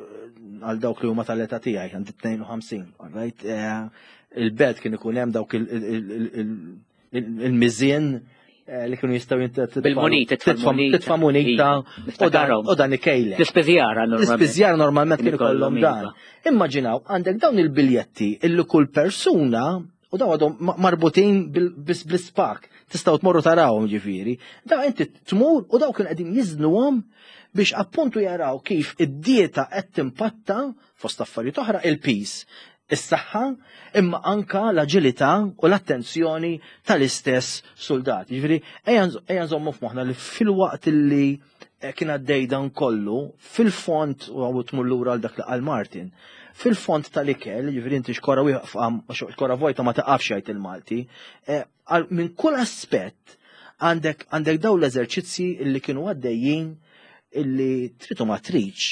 għal dawk li huma tal-età tiegħi għandi 52, right? Eh, il-belt kien ikun hemm dawk il-miżien eh, li kienu jistgħu
Bil-munita,
titfa' munita u dan ikejle.
L-ispiżjara
normalment. L-ispiżjara normalment kien ikollhom dan. Iva. Immaġinaw għandek dawn il-biljetti illi kull persuna U daw għadhom marbutin bl-ispak, tistgħu tmorru tarawhom ġifieri. Da inti tmur u daw kienu qegħdin jiżnuhom biex appuntu jaraw kif id-dieta qed timpatta fost affarijiet oħra il-peace, is-saħħa, imma anka l-aġilità u l-attenzjoni tal-istess soldati. Ġifieri ejja nżommu f'moħħna li fil-waqt li eh, kien għaddej dan kollu, fil-fond, u għawu tmur lura għal dak li qal Martin, fil-fond tal-ikel, ġifieri inti xkora wieqfa, xkora vojta ma taqafx jgħid il-Malti, eh, minn kull aspett għandek għandek daw l-eżerċizzji illi kienu għaddejjin illi tritu ma triċ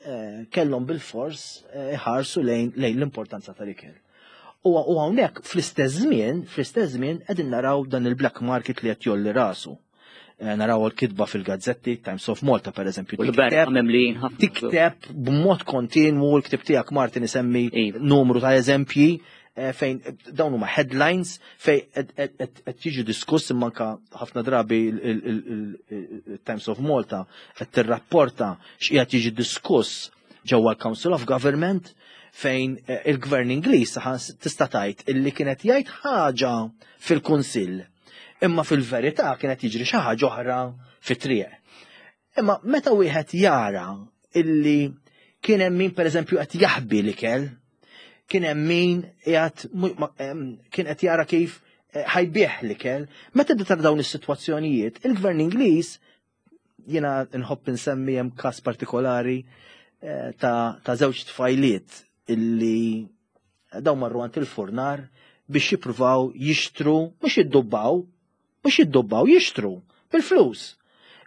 eh, kellhom bil-fors iħarsu lejn l-importanza tal-ikel. U hawnhekk fl-istess żmien, fl-istess żmien qegħdin naraw dan il-black market li qed jolli rasu. Naraw l-kitba fil-gazzetti, Times of Malta per eżempju.
U l-berqa mimlijin ħafna.
Tikteb b'mod kontinwu l-ktib tiegħek Martin isemmi
Iva.
numru ta' eżempji fejn dawn huma headlines fejn qed jiġu diskuss imma anka ħafna drabi il-Times of Malta qed tirrapporta x'qiegħed jiġi diskuss ġewwa l-Council of Government fejn il-Gvern Ingliż tista' tgħid illi kienet jgħid ħaġa fil-Kunsill imma fil-verità kienet jiġri xi ħaġa oħra fit-triq. Imma meta wieħed jara illi kien hemm min pereżempju qed jaħbi l-ikel, kien hemm min qiegħed kien qed jara kif ħajbih l-ikel, meta tibda tara dawn is-sitwazzjonijiet, il-Gvern Ingliż, jiena nħobb insemmi hemm każ partikolari ta' żewġ tfajliet illi dawn marru għand il-furnar biex jippruvaw jixtru, mhux jiddubbaw, mhux jiddubbaw, jixtru bil-flus.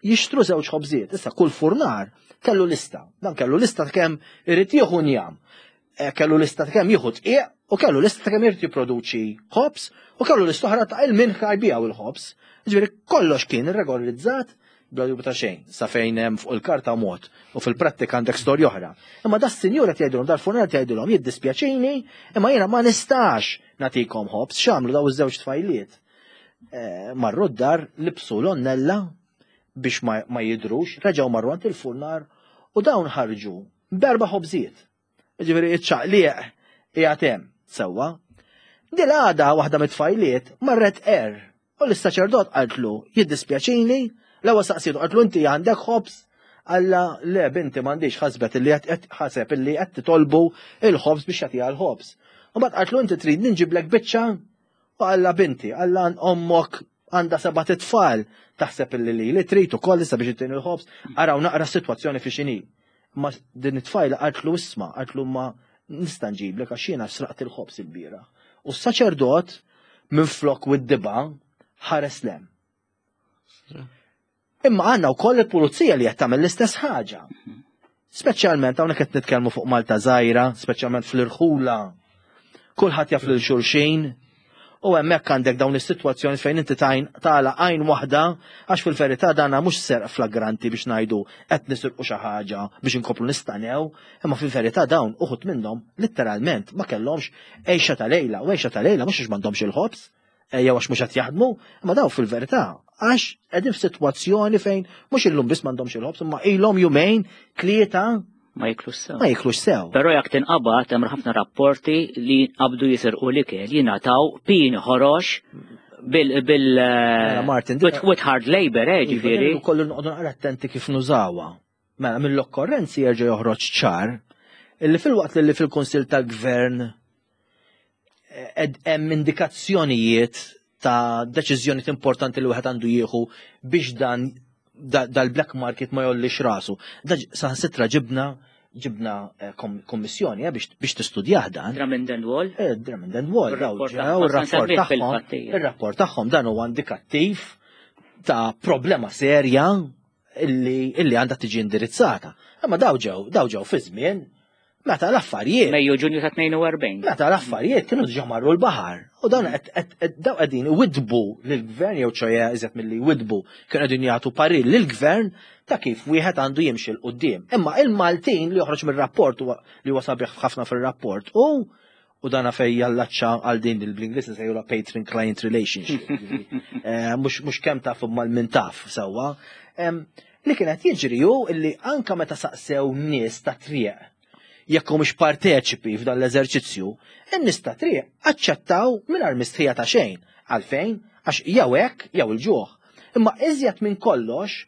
Jixtru żewġ ħobżiet. Issa kull furnar kellu lista. Dan kellu lista ta' kemm irid jieħu njam. Kellu lista ta' kemm jieħu tqiq u kellu lista ta' kemm irid jipproduċi ħobż u kellu lista oħra ta' il-min ħajbijaw il-ħobż. Ġifieri kollox kien irregolarizzat bla dubju ta' xejn, sa fejn hemm fuq il-karta mod u fil-prattika għandek storja oħra. Imma da s-sinjura tgħidilhom, dal-furnar tgħidilhom, jiddispjaċini, imma jiena ma nistax nagħtikom ħobż. X'għamlu daw iż-żewġ tfajliet? Marru d-dar, libsu l-onnella biex ma jidrux, reġgħu marru għand il-furnar u dawn ħarġu b'erba' ħobżiet. Ġifieri iċ-ċaqliq qiegħed hemm sewwa. Dil-għada waħda mit-tfajliet marret er u l-saċerdot qaltlu jiddispjaċini, l-ewwel saqsietu qaltlu inti għandek ħobż? Alla le binti m'għandix, ħasbet illi qed ħaseb illi qed titolbu il-ħobż biex jagħtiha l-ħobż. U mbagħad qaltlu inti trid ninġiblek biċċa? U alla binti, alla ommok għandha seba' titfal, taħseb illi li li trid ukoll issa biex ittini l-ħobż, araw naqra s-sitwazzjoni fi x'inhi. Ma din it-tfajla qaltlu isma', qaltlu ma nista' nġiblek għax jiena sraqt il-ħobż il-bieraħ. U s-saċerdot minflok wid-diba ħares lem. Imma għandna wkoll il-pulizija li qed tagħmel l-istess ħaġa. Speċjalment hawnhekk qed nitkellmu fuq Malta żgħira, speċjalment fl-irħula. Kulħadd jaf lil xulxin. U hemmhekk għandek dawn is-sitwazzjoni fejn inti tajn tagħlaq għajn waħda għax fil-verità dana mhux serq flagranti biex ngħidu qed nisirqu xi ħaġa biex inkomplu nistanew, imma fil-verità dawn uħud minnhom litteralment ma kellhomx għejxa ta' lejla, u għejxa ta' lejla mhux għax m'għandhomx il-ħobż, jew għax mhux qed jaħdmu, imma dawn fil-verità għax qegħdin f'sitwazzjoni fejn mhux illum biss m'għandhomx il-ħobż, imma ilhom jumejn, tlieta
ma jiklux sew.
Ma jiklux sew.
Però jekk tinqabad hemm ħafna rapporti li jinqabdu jisirqu l-ikel jingħataw pin ħorox bil bil
Mela, Martin,
with hard labor,
Iva,
ġifieri.
din ukoll noqogħdu naqra attenti kif nużawha. Mela mill-okkorrenzi jerġa' joħroġ ċar illi fil-waqt li fil-Kunsill tal-Gvern hemm indikazzjonijiet ta' deċiżjonijiet importanti li wieħed għandu jieħu biex dan dal-black market ma jollix rasu. Da saħansitra ġibna kommissjoni biex tistudjah dan.
Drummond and Wall?
Drummond and Wall, daw
Ir-rapport
ġew,
tagħhom,
ir-rapport
semmih
tagħhom,
fil-fattija.
ir-rapport tagħhom dan huwa indikattiv ta' problema serja illi għandha tiġi indirizzata. Imma daw ġew fi żmien meta l-affarijiet.
Mejju Ġunju ta' 42.
Meta l-affarijiet kienu diġà marru l-baħar. U dawn daw qegħdin iwidbu lill-gvern jew ċoja iżjed milli jwidbu, kienu qegħdin jagħtu parir lill-gvern ta' kif wieħed għandu jimxi 'l quddiem. Imma il-Maltin li joħroġ mir-rapport huwa li huwa sabiħ ħafna fir-rapport u dana fej jallaċċa għal din il-bl-Ingliż nsejħulha patron client relationship. Mhux kemm taf imma l-min taf sewwa. Li kienet jiġri hu illi anka meta saqsew nies ta' triq jekk humiex parteċipi f'dan l-eżerċizzju, in-nies ta' triq aċċettaw mingħajr mistħija ta' xejn. Għalfejn? Għax jew hekk jew il-ġuħ. Imma iżjed minn kollox,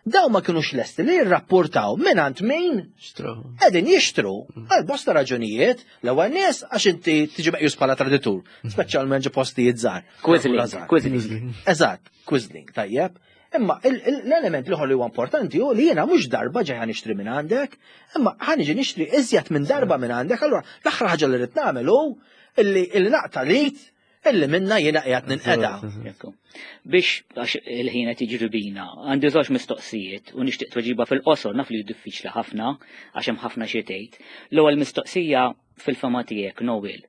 daw ma kinux lesti li jirrapportaw mingħand min
Xtraw.
qegħdin jixtru għal bosta raġunijiet. L-ewwel nies għax inti tiġi meqjus bħala traditur, speċjalment ġo postijiet żgħar.
Quisling,
Żgħar.
quisling.
Eżatt, quisling, tajjeb. Imma l-element l-ieħor li huwa importanti hu li jiena mhux darba ġej ħa nixtri minn għandek, imma ħa niġi nixtri iżjed minn darba minn għandek, allura l-aħħar ħaġa li rrid nagħmel hu illi naqta' lit illi minna jiena qiegħed ninqeda.
Ekku. Biex għax il-ħin qed jiġri bina, għandi żewġ mistoqsijiet u nixtieq tweġiba fil-qosor, naf li diffiċli ħafna għax hemm ħafna xi tgħid. L-ewwel mistoqsija fil-fama tiegħek, Noel.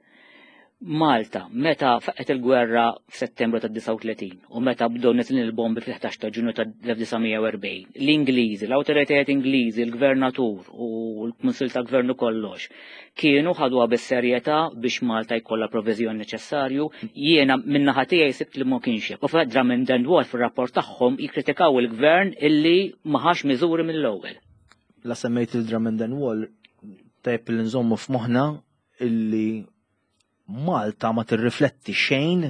Malta, meta faqqet il-gwerra f'Settembru tad-39 u meta bdew neżlin il-bombi fil-11 ta' Ġunju tal-1940, l-Ingliżi, l-awtoritajiet Ingliżi, il-Gvernatur u l-Kunsill tal-Gvern u kollox, kienu ħaduha bis-serjetà biex Malta jkollha proviżjon neċessarju. Jiena min-naħa tiegħi sibt li ma kienx hekk. U fil-fatt Drummond and Wall fir-rapport tagħhom jikkritikaw il-Gvern illi ma ħax miżuri mill-ewwel.
La semmejt il-Drummond and Wall, tajjeb li nżommu f'moħħna illi Malta ma tirrifletti xejn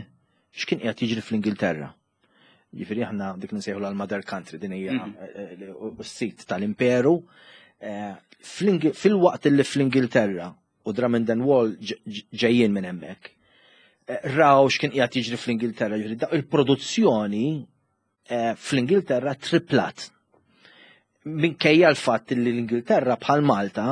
x'kien qiegħed jiġri fl-Ingilterra. Jiġifieri aħna dik li nsejħu l-mother country din hija mhm. eh, eh, s-sit tal-imperu. Eh, fil-waqt li fl-Ingilterra u Drummond and Wall ġejjin minn hemmhekk, raw x'kien qiegħed jiġri fl-Ingilterra, jiġifieri il-produzzjoni fl-Ingilterra triplat. Minkejja l-fatt li l-Ingilterra bħal Malta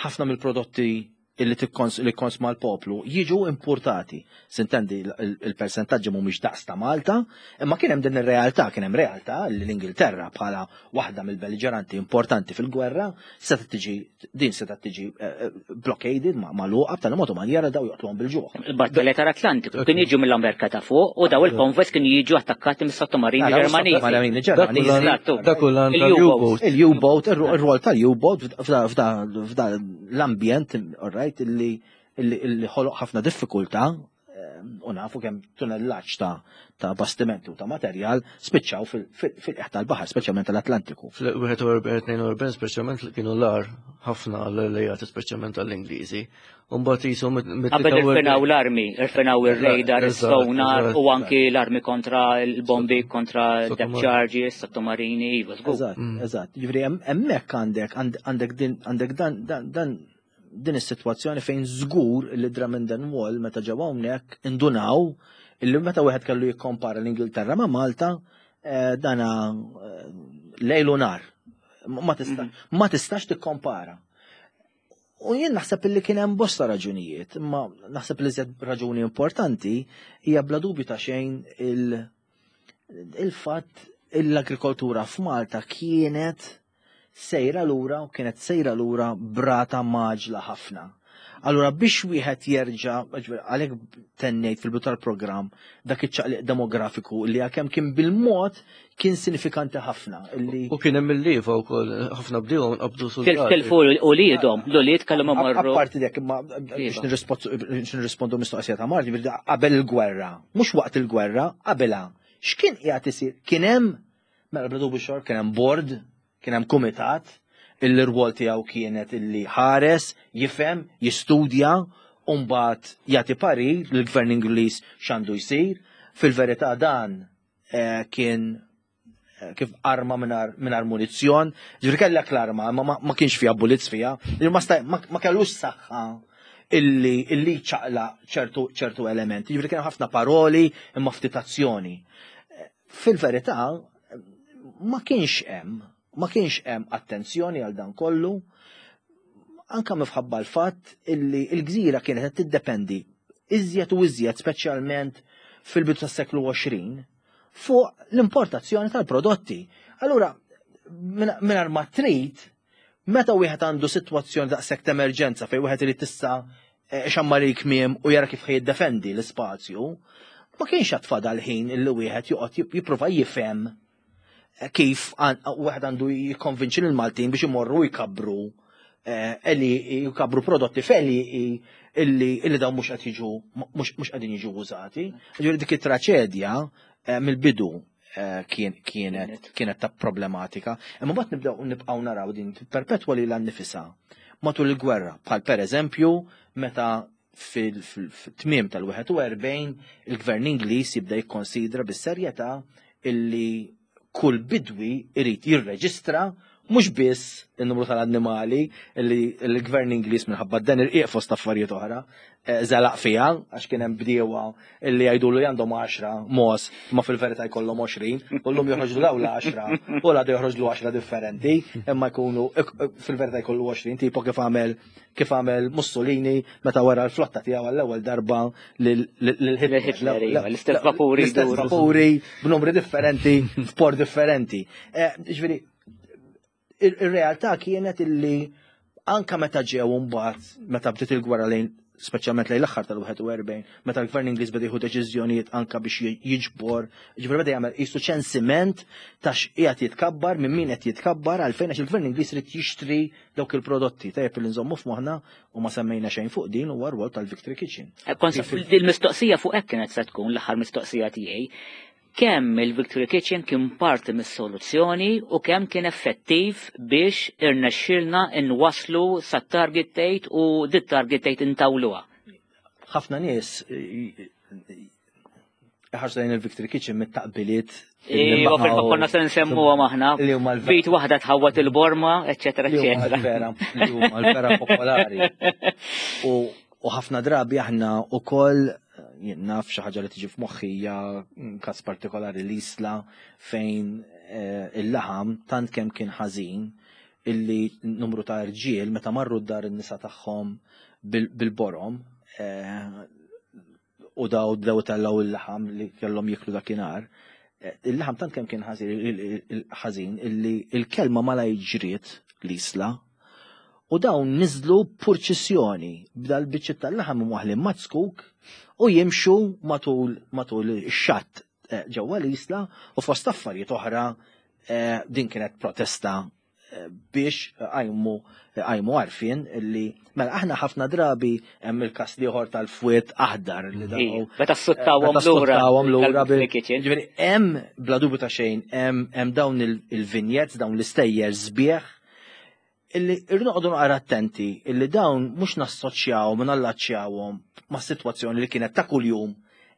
ħafna mill-prodotti illi li konsma l-poplu jiġu importati. Sintendi il-persentaġġi mhumiex daqs ta' Malta, imma kien hemm din ir-realtà, kien hemm realtà li l-Ingilterra bħala waħda mill-belliġeranti importanti fil-gwerra setgħet tiġi din setgħet tiġi eh, eh, blockaded magħluqa b'tali mod u manjera daw joqtluhom bil-ġuħ.
Il-battalja tal-Atlantiku kien jiġu mill-Amerika ta' fuq u daw il-konvojs kienu jiġu attakkati mis-sottomarini Ġermaniżi.
Ġermaniżi.
Dak
Il-U-boat. Il-U-boat, ir-rwol tal-U-boat f'da l-ambjent, all right, illi illi ħoloq ħafna diffikultà eh, u nafu kemm tunellaġġ ta' ta' bastimenti u ta' materjal spiċċaw fil-qiegħ tal-baħar, speċjalment tal-Atlantiku.
Fl-41-42 speċjalment li kienu l-ar ħafna l-lejat speċjalment tal-Ingliżi. Mbagħad jisom
Qabel irfinaw l-armi, irfinaw ir-radar, is-sonar u anki l-armi kontra l-bombi, kontra depth charges, sottomarini, iva, żgur.
Eżatt, mm. eżatt. Ġifieri hemmhekk għandek għandek din għandek dan dan din is-sitwazzjoni fejn żgur li Drummond and Wall meta ġew hawnhekk indunaw illi meta wieħed kellu jikkompara l-Ingilterra ma' Malta eh, dana eh, lejlu nar. Ma mhm. tistax tikkompara. U jien naħseb illi kien hemm bosta raġunijiet, imma naħseb li żed raġuni importanti hija bla dubju ta' xejn il-fatt l-agrikoltura f'Malta kienet sejra lura u kienet sejra lura brata maġla ħafna. Allura biex wieħed jerġa' għalhekk tennejt fil-bidu tal-programm dak iċ-ċaqliq demografiku li għalkemm kien bil-mod kien sinifikanti ħafna.
U kien hemm il-lieva wkoll ħafna bdiewa nqabdu
soldati. Tilfu uliedhom, l-ulied kellhom imorru.
Apparti dak imma biex nirrispondu mistoqsija ta' Marti, qabel il-gwerra, mhux waqt il-gwerra, qabilha. X'kien qiegħed isir? Kien hemm mela bla dubju xor kien hemm board, kien hemm kumitat, il-rwol tiegħu kienet illi ħares, jifhem, jistudja, u mbagħad jagħti parir lill-Gvern Ingliż x'għandu jsir. Fil-verità dan eh, kien eh, kif arma minar munizzjon, ġifieri kellek l-arma, ma, ma kienx fiha bullets fiha, ma, ma kellux saħħa illi illi ċaqla ċertu ċertu elementi, ġifieri kien ħafna paroli imma ftit azzjoni. Eh, fil-verità ma kienx hemm, ma kienx hemm attenzjoni għal dan kollu, anka mifħabba l-fatt illi l-gżira kienet qed tiddependi iżjed u iżjed speċjalment fil-bidu tas-seklu 20 fuq l-importazzjoni tal-prodotti. Allura, mingħajr ma trid, meta wieħed għandu sitwazzjoni daqshekk ta' emerġenza fejn wieħed irid tista' eh, xammar il-kmiem u jara kif jiddefendi l-ispazju, ma kienx għad fadal ħin illi wieħed joqgħod jipprova jifhem kif wieħed għandu jikkonvinċi lil Maltin biex imorru jkabru eh, eli jkabru prodotti feli illi illi dawn mhux qed jiġu mhux qegħdin jiġu użati. Ġifieri dik it-traċedja eh, mill-bidu eh, kienet kienet ta' problematika. Imma mbagħad nibdew nibqgħu naraw din perpetwa lilha nnifisha matul il-gwerra, bħal pereżempju meta fil-tmiem tal-41 il-gvern Ingliż jibda jikkonsidra bis-serjetà illi kull bidwi irid jirreġistra mhux biss in-numru tal-annimali li l-gvern Ingliż minħabba dan irqiq fost affarijiet oħra eh, żalaq fiha għax kien hemm bdiewa illi jgħidulu li għandhom 10 mos ma fil-verità jkollhom 20 u llum joħroġlu dawn l-10 u l-għada joħroġlu 10 differenti imma jkunu fil-verità jkollu 20 tipo kif għamel kif għamel Mussolini meta wara l-flotta tiegħu għall-ewwel darba lil
Hitler, iva, l-istess vapuri.
L-istess vapuri b'numri differenti, f'port differenti. Eh, ġifieri, ir-realtà kienet illi anka meta ġew mbagħad meta bdiet il-gwerra lejn speċjalment lejn l-aħħar tal-41, meta l-Gvern Ingliż beda jieħu deċiżjonijiet anka biex jiġbor, ġifieri beda jagħmel qisu ċensiment ta' x'qiegħed jitkabbar, minn min qed jitkabbar, għalfejn għax il-Gvern Ingliż irid jixtri dawk il-prodotti. Tajjeb li nżommu f'moħħna u ma semmejna xejn fuq din huwa rwol tal-Victory Kitchen.
Eh, il-mistoqsija fuq hekk kienet se tkun l-aħħar mistoqsija tiegħi. Kemm il-Victory Kitchen kien parti mis-soluzzjoni u kemm kien effettiv biex irnexxielna nwasslu sat-target date u dit target date intawluha?
Ħafna nies iħarsu lejn il-Victory Kitchen mit-taqbiliet.
Iva, fil-fatt konna se nsemmuhom aħna. Bit waħda tħawwat il-borma, eċetera, eċetera.
Vera, li huma l-vera popolari. U ħafna drabi aħna ukoll jien naf xi ħaġa li tiġi f'moħħi hija każ partikolari l-Isla fejn eh, il-laħam tant kemm kien ħażin illi numru ta' rġiel meta marru d-dar in-nisa tagħhom bil-borom eh, u daw bdew tellgħu il-laħam li kellhom jiklu dakinhar. Eh, il-laħam tant kemm kien ħażin illi il-kelma mala ġriet l-isla u dawn niżlu purċissjoni b'dal biċċiet tal-laħam imwaħlin mat-skuk u jimxu matul matul ix-xatt eh, ġewwa l-isla u fost affarijiet oħra eh, din kienet protesta biex għajmu għajmu għarfien li mela aħna ħafna drabi hemm il-kas liħor tal-fwiet aħdar li daw.
Meta suttawhom lura.
Suttawhom lura ġifieri hemm bla dubju ta' xejn hemm dawn il-vignettes, dawn l-istejjer sbieħ illi irridu noqogħdu naqra attenti illi dawn mhux nassoċjawhom u nallaċċjawhom ma' sitwazzjoni li kienet ta' kuljum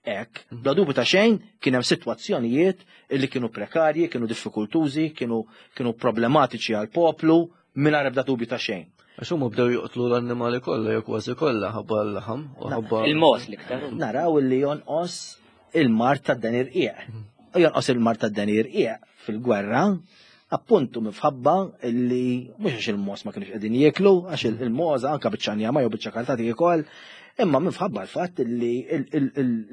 hekk. Bla dubju ta' xejn kien hemm sitwazzjonijiet illi kienu prekarji, kienu diffikultużi, kienu kienu problematiċi għal poplu mingħajr ebda dubju ta' xejn.
Għax huma bdew joqtlu l-annimali kollha jew kważi kollha ħabba l-laħam u ħabba.
Il-mos l-iktar.
Naraw illi jonqos il-mard tad-deni rqiq. U jonqos il-mard tad-deni rqiq fil-gwerra appuntu mifħabba illi mhux għax il-mos ma kienux qegħdin jieklu, għax il-moza anka biċċa njama jew biċċa karta tiekol, imma minħabba l-fatt illi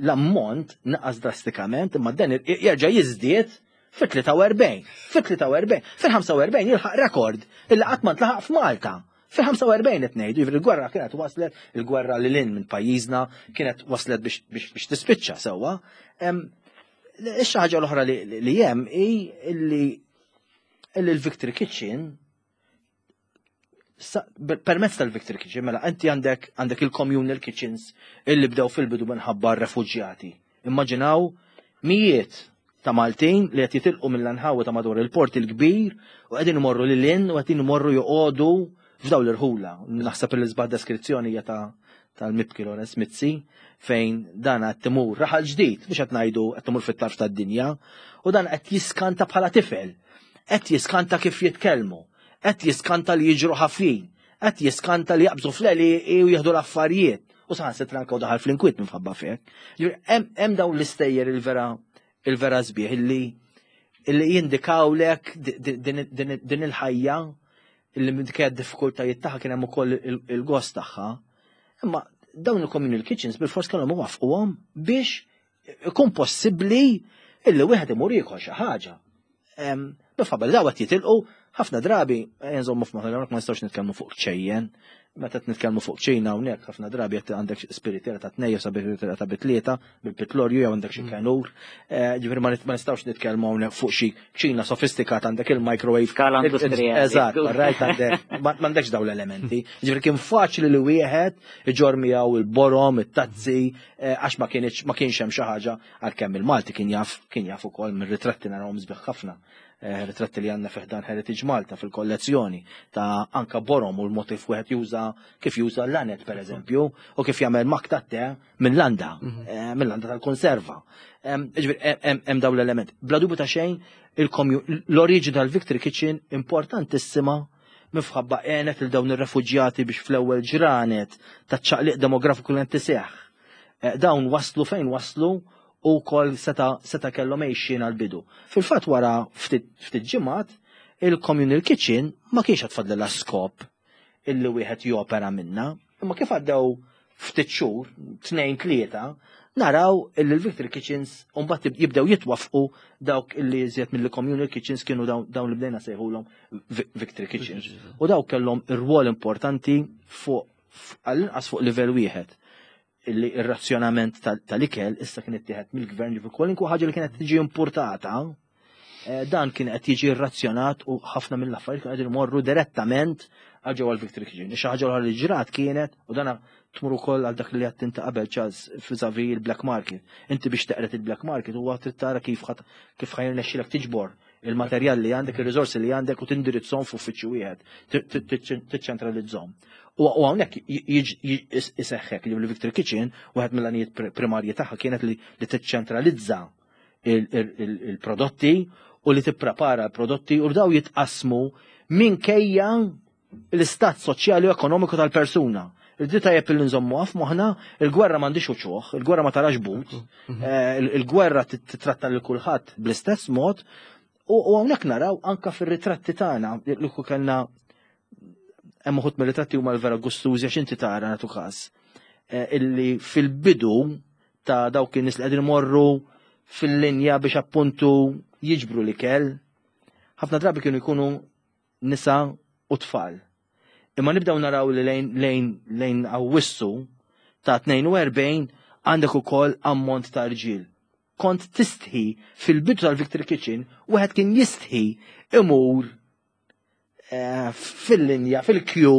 l-ammont naqas drastikament imma dan jerġa' jiżdied fit-43, fit-43, fil-45 jilħaq rekord illi qatt ma ntlaħaq f'Malta. Fil-45 qed ngħidu, jiġifieri l-gwerra kienet waslet, il-gwerra lil hinn minn pajjiżna kienet waslet biex tispiċċa sewwa. Ix ħaġa l-oħra li hemm hi li l-Victory Kitchen permezz tal-Victory Kitchen, mela inti għandek għandek il-communal kitchens illi bdew fil-bidu minħabba r-refuġjati. Immaġinaw mijiet ta' Maltin li qed jitilqu mill-anħawi ta' madwar il-port il-kbir u qegħdin imorru lil hinn u qegħdin imorru joqogħdu f'dawn l-irħula. Naħseb li l-isbaħ deskrizzjoni hija ta' tal-mibki Lawrence Mizzi fejn dan qed timur raħal ġdid, mhux qed ngħidu qed timur fit-tarf tad-dinja, u dan qed jiskanta bħala tifel, qed jiskanta kif jitkellmu, qed jiskanta li jiġru ħafin, qed jiskanta li jaqbżu fl-għeli u jieħdu l-affarijiet. U saħansitra anke daħal fl-inkwiet minħabba fek. Hemm dawn l-istejjer il-vera il-vera sbieħ illi illi jindikawlek din il-ħajja illi minkejja d-diffikultajiet tagħha kien hemm ukoll il-gost tagħha. Imma dawn il-communal kitchens bil-fors kellhom iwaffquhom biex ikun possibbli illi wieħed imur jiekol xi ħaġa. Bifabel daw qed jitilqu ħafna drabi eh, nżommu f'moħħna ma nistgħux nitkellmu fuq ċejjen. Meta qed nitkellmu fuq ċina hawnhekk ħafna drabi qed għandek spiritera ta' tnejja sa spiritera ta' bitlieta bil-pitlorju jew għandek xi mm. kenur. Eh, ġifieri ma nistgħux nitkellmu hawnhekk fuq xi ċina sofistikata għandek il-microwave.
Skala industrijali.
Eżatt, rajt għandek m'għandekx dawn l-elementi. Ġifieri kien faċli li wieħed iġor miegħu il-borom, it-tazzi, eh, għax ma kienx hemm xi ħaġa Għalkemm il-Malti kien jaf, kien jaf ukoll mir-ritratti narawhom sbieħ ħafna, eh, ritratti li għandna fi ħdan Heritage Malta fil-kollezzjoni ta' anka borom u l-mod kif wieħed juża kif juża l-lanet pereżempju u kif jagħmel mak ta' te minn landa, mhm. eh, minn landa tal-konserva. Hemm dawn l-element. Bla dubju ta' xejn l-oriġinal Victory Kitchen importantissima mifħabba għenet il dawn ir-refuġjati biex fl-ewwel ġranet taċ-ċaqliq demografiku li qed iseħħ Eh, dawn waslu fejn waslu u kol seta, seta kellhom għejxin għal-bidu. Fil-fatt wara ftit ġimgħat il-communal kitchen ma kienx għatfadlilha skop illi wieħed jopera minna, imma kif għaddew ftit xhur, tnejn tlieta, naraw illi l-Victory Kitchens mbagħad jibdew jitwafqu dawk illi iżjed mill-communal kitchens kienu dawn li bdejna sejħulhom Victory Kitchens. U dawk kellhom ir-rwol importanti fuq għall-inqas fuq livell wieħed illi ir-razzjonament tal-ikel issa kien ittieħed mill-gvern ġifi kwalinkwa ħaġa li kienet tiġi importata eh, dan kien qed jiġi razzjonat u ħafna mill-affarijiet kienu qegħdin imorru direttament għal ġewwa l-Victory Kitchen. Xi ħaġa oħra li ġrat kienet u dana tmur ukoll għal dak li qed inti qabel Charles fiżavi il-black market. Inti biex teqret il-black market huwa trid tara kif kif ħajrnexxilek tiġbor il-materjal li għandek, il-riżorsi li għandek u tindirizzhom f'uffiċċju wieħed, tiċċentralizzhom. U hawnhekk iseħħek li l-Victory Kitchen wieħed mill-għanijiet primarji tagħha kienet li tiċċentralizza il-prodotti u li tipprepara l-prodotti u daw jitqasmu minkejja l-istat soċjali u ekonomiku tal-persuna. Il-di tajjeb li nżommu għaf moħna, il-gwerra m'għandix uċuħ, il-gwerra ma tarax but, mhm. eh, il-gwerra titratta lil kulħadd bl-istess mod, u hawnhekk naraw anka fir-ritratti tagħna li kellna hemm uħud mir-ritratti huma l-vera gustużi għax inti tara nagħtu każ eh, illi fil-bidu ta' dawk in-nies li qegħdin imorru fil-linja biex appuntu jiġbru l-ikel, ħafna drabi kienu jkunu nisa u tfal. Imma nibdew naraw li lejn lejn lejn Awwissu ta' 42 għandek ukoll ammont ta' rġiel. Kont tistħi fil-bidu tal-Victory Kitchen, wieħed kien jistħi imur eh, fil-linja, fil-kju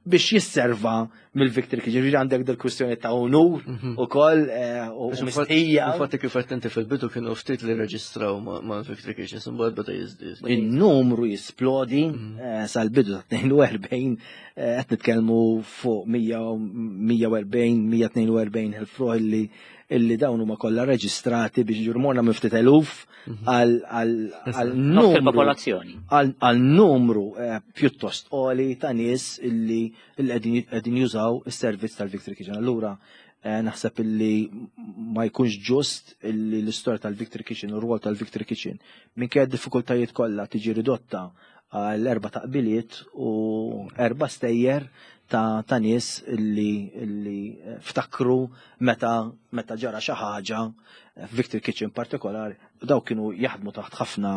biex jisserva mill-Victory Kitchen. Ġifieri għandek dil-kwistjoni ta' unur mhm. ukoll eh, u mistħija.
Infatti kif qed inti fil-bidu kienu ftit li reġistraw ma' Victory Kitchen, imbagħad beda jiżdied.
In-numru jisplodi mhm. eh, sal-bidu ta' 42 eh, qed nitkellmu fuq 140, 142 elf ruħ illi illi dawn huma kollha reġistrati biex ġurmorna minn ftit eluf mhm. għal numru
popolazzjoni
għal numru eh, pjuttost għoli ta' nies illi qegħdin jużaw is-servizz tal-Victory Kitchen. Allura eh, naħseb illi ma jkunx ġust illi l-istorja tal-Victory Kitchen u r-rwol tal-Victory Kitchen minkejja d-diffikultajiet kollha tiġi ridotta għal erba taqbiliet u erba stejjer ta', ta nies li, li ftakru meta, meta ġara xi ħaġa f'Victory Kitchen partikolari, daw kienu jaħdmu taħt ħafna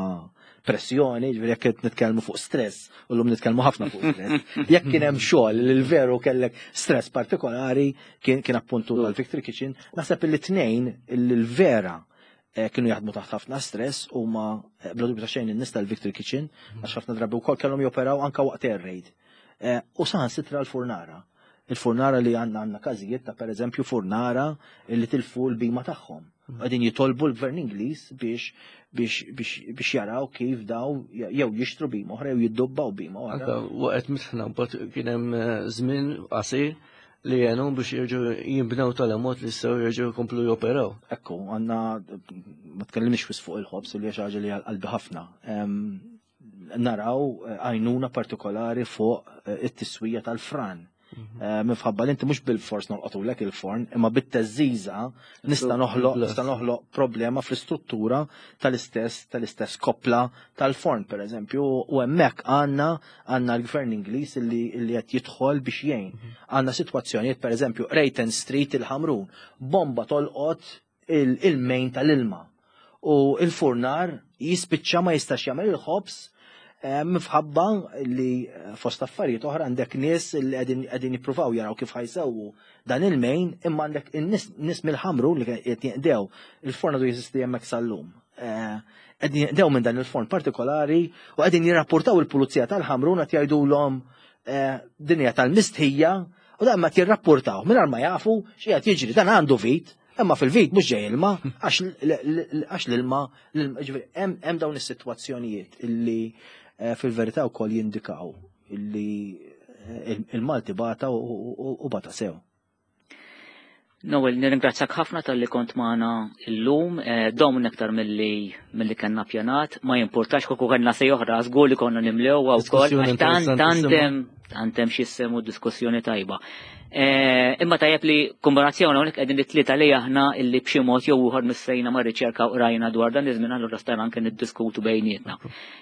pressjoni, ġifieri jekk qed nitkellmu fuq stress, u llum nitkellmu ħafna fuq stress. Jekk kien hemm xogħol li l-veru kellek stress partikolari kien kien appuntu tal-Victory Kitchen, naħseb li tnejn li l-vera eh, kienu jaħdmu taħt ħafna stress u ma eh, bla dubju ta' xejn in-nies tal-Victory Kitchen għax ħafna drabi wkoll kellhom joperaw anka waqt air raid. Eh, u saħansitra l-furnara. Il-furnara li għandna għandna każijiet ta' pereżempju furnara li tilfu l-bima tagħhom. Mm. Qegħdin jitolbu l-gvern Ingliż biex biex biex biex jaraw kif daw jew jixtru bima oħra jew jiddubbaw bima oħra.
Waqgħet mitħna mbagħad kien hemm eh, żmien qasir li jenu biex jirġu jimbnew tal-mod li jistgħu jerġgħu jkomplu joperaw.
Ekku, għandna ma tkellimx wis fuq il-ħobs li xi ħaġa li għal-qalbi ħafna. Naraw eh, għajnuna partikolari fuq eh, it-tiswija tal-fran. Mhm. Eh, minħabba li inti mhux bil-fors nolqotulek il-forn, imma bit-teżżiża nista' noħloq nista' noħloq problema fl-istruttura tal-istess tal-istess koppla tal-forn pereżempju, u hemmhekk għandna għandna l-gvern Ingliż li qed jidħol biex jgħin. Mhm. Għandna sitwazzjonijiet pereżempju Rayton Street il-Ħamrun, bomba tolqot il-main tal-ilma. U il-furnar jispiċċa ma jistax jagħmel il-ħobż eh, mifħabba li eh, fost affarijiet oħra għandek nies li qegħdin jippruvaw jaraw kif ħajsewwu dan il-main imma għandek in-nies mill-ħamru li qed jinqdew il-forn għadu jeżisti hemmhekk sal-lum. Eh, qegħdin jinqdew minn dan il-forn partikolari u qegħdin jirrapportaw il-pulizija tal-ħamru qed jgħidulhom dinja tal-mistħija u dan ma jirrapportaw mingħajr ma jafu x'qiegħed jiġri dan għandu vit Imma fil-vit mhux ġej ilma, għax l-ilma, hemm dawn is-sitwazzjonijiet illi eh, fil-verità wkoll jindikaw illi eh, il-Malti bata u bata sew.
Noel, nirringrazzjak ħafna tal-li kont magħna illum, eh, dom aktar milli milli kellna pjanat, ma jimpurtax kieku kellna sej oħra, żgur li konna nimlew wkoll, tant hemm tant hemm x'jissemu diskussjoni tajba. Eh, imma tajjeb li kombinazzjoni hawnhekk qegħdin it-tlieta li aħna illi b'xi mod jew ieħor missejna ma' riċerka u rajna dwar dan iż-żmien allura stajna anke niddiskutu bejnietna.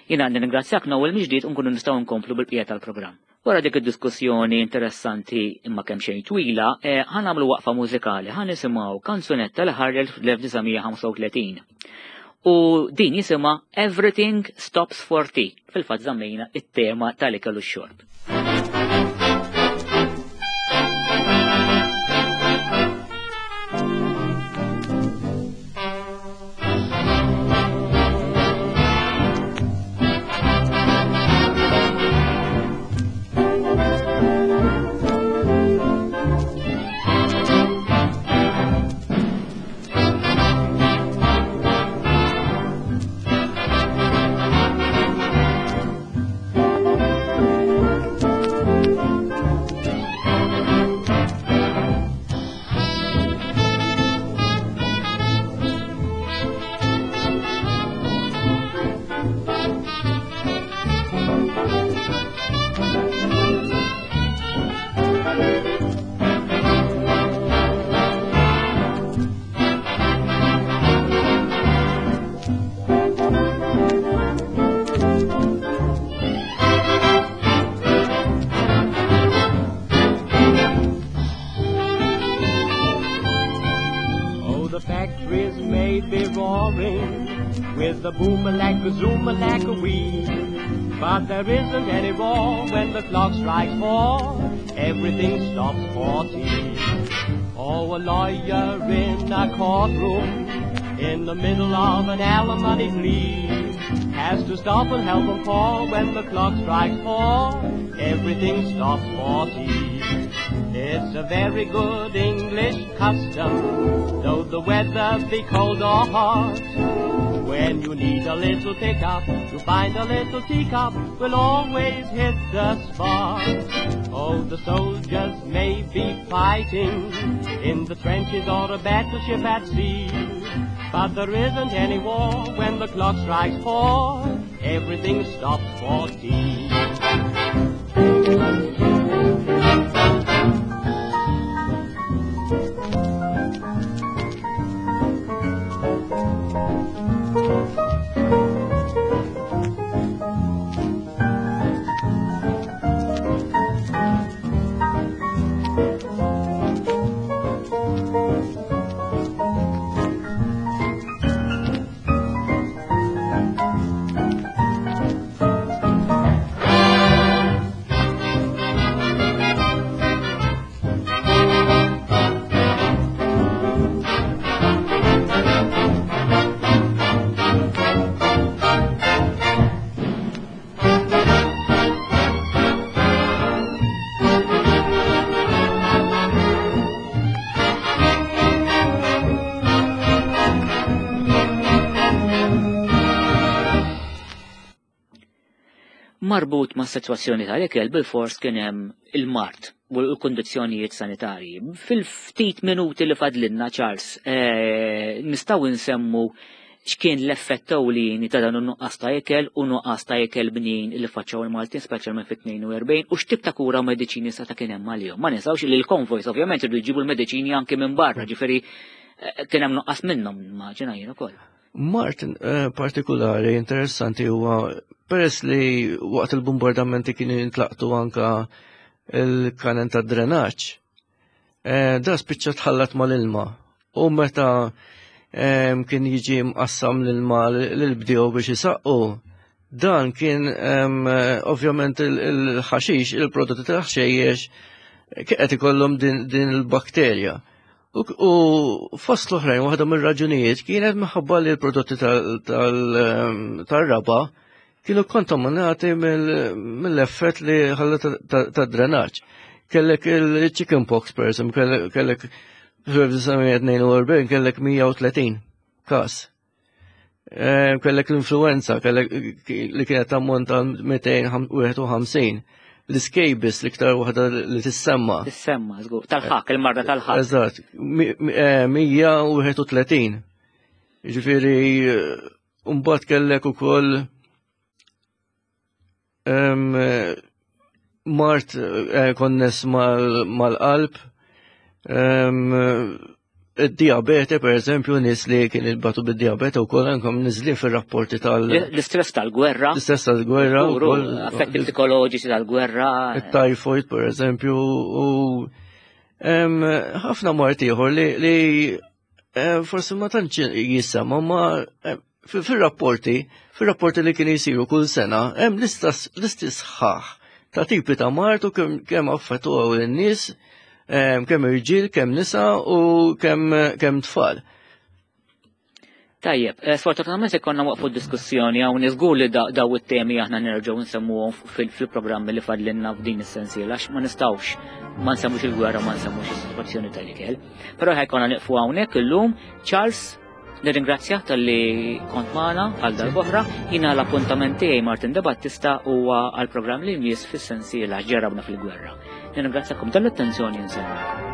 Jiena għandi ningrazzjak Noel mill-ġdid u nkunu nistgħu nkomplu bil-bqija tal-programm. Wara dik id-diskussjoni interessanti imma kemm xejn twila, eh, ħa nagħmlu waqfa mużikali, ħa nisimgħu kanzunetta li ħarġet fl-1935. U din jisimha Everything Stops for Tea. Fil-fatt żammejna it-tema tal-ikel u x-xorb.
may be roaring with a boom like a zoom like a wee. But there isn't any roar when the clock strikes four. Everything stops for tea. Oh, a lawyer in a courtroom in the middle of an alimony plea has to stop and help 'em pour when the clock strikes four. Everything stops for tea. It's a very good English custom, though the weather be cold or hot. When you need a little pick-up, to find a little teacup will always hit the spot. Oh, the soldiers may be fighting in the trenches or a battleship at sea. But there isn't any war when the clock strikes four. Everything stops for tea.
Marbut ma' sitwazzjoni tal-ikel bil-fors kien hemm il-mard u l-kundizzjonijiet sanitarji. Fil-ftit minuti li fadlinna Charles, eh, nistgħu nsemmu x'kien l-effett ewlieni ta' dan in-nuqqas ta' ikel u nuqqas ta' ikel bnin li faċċaw il-Maltin speċjalment fit-42 u x'tip ta' kura u mediċini seta' kien hemm għalihom. Ma ninsawx li l-konvojs ovvjament irdu jġibu l-mediċini anke minn barra, ġifieri eh, kien hemm nuqqas minnhom immaġina jien ukoll.
Mart eh, partikolari interessanti huwa peress li waqt il-bombardamenti kienu jintlaqtu anka il-kanen ta' drenaġġ. Eh, da spiċċa tħallat mal-ilma u meta kien jiġi mqassam l-ilma l-bdiew biex isaqqu, dan kien ovvjament il-ħaxix, il-prodotti tal-ħxejjex qed ikollhom din il-bakterja. U fost l-oħrajn, waħda mir-raġunijiet kienet minħabba li l-prodotti tal-raba kienu kontaminati mill-effett li ħalla ta' drenaġġ. Kellek il-chicken pox, per eżempju, kellek fl-1942 kellek 130 kas. Eh, kellek l-influenza, kellek li kienet ammonta 251. L-scabies l-iktar waħda li tissemma.
Tissemma, żgur. Tal-ħak, il-marda tal-ħak.
Eżatt, 131. Eh, Ġifieri, mbagħad kellek ukoll Mart eh, konness mal-qalb, id-diabete, per eżempju, nis li kien il-batu bid-diabete u koll ankom nizli fil-rapporti tal-
L-istress tal-gwerra.
L-istress tal-gwerra.
Affetti psikoloġiċi tal-gwerra.
Il-typhoid, per eżempju, u ħafna mart ieħor li eh, forsi ma tantx jisema ma eh, fil-rapporti, fil-rapporti li kien jisiru kull sena, hemm listi sħaħ ta' tipi ta' mart u kemm affettwaw lin-nies, eh, kemm irġiel, kemm nisa u kemm tfal.
Tajjeb, eh, sfortunatament se konna waqfu d-diskussjoni hawn niżgur li daw it-temi aħna nerġgħu nsemmuhom fil-programmi li fadlinna f'din is-sensiela għax ma nistgħux ma nsemmux il-gwerra ma nsemmux is-sitwazzjoni tal-ikel. Però ħajkonna nieqfu hawnhekk illum Charles Nirringrazzjak talli kont magħna għal darb'oħra. Jiena l-appuntament tiegħi Martin De Battista huwa għall-programm li jmiss fis-sensiela ġarrabna fil-gwerra. Nirringrazzjakom tal-attenzjoni nsemmu.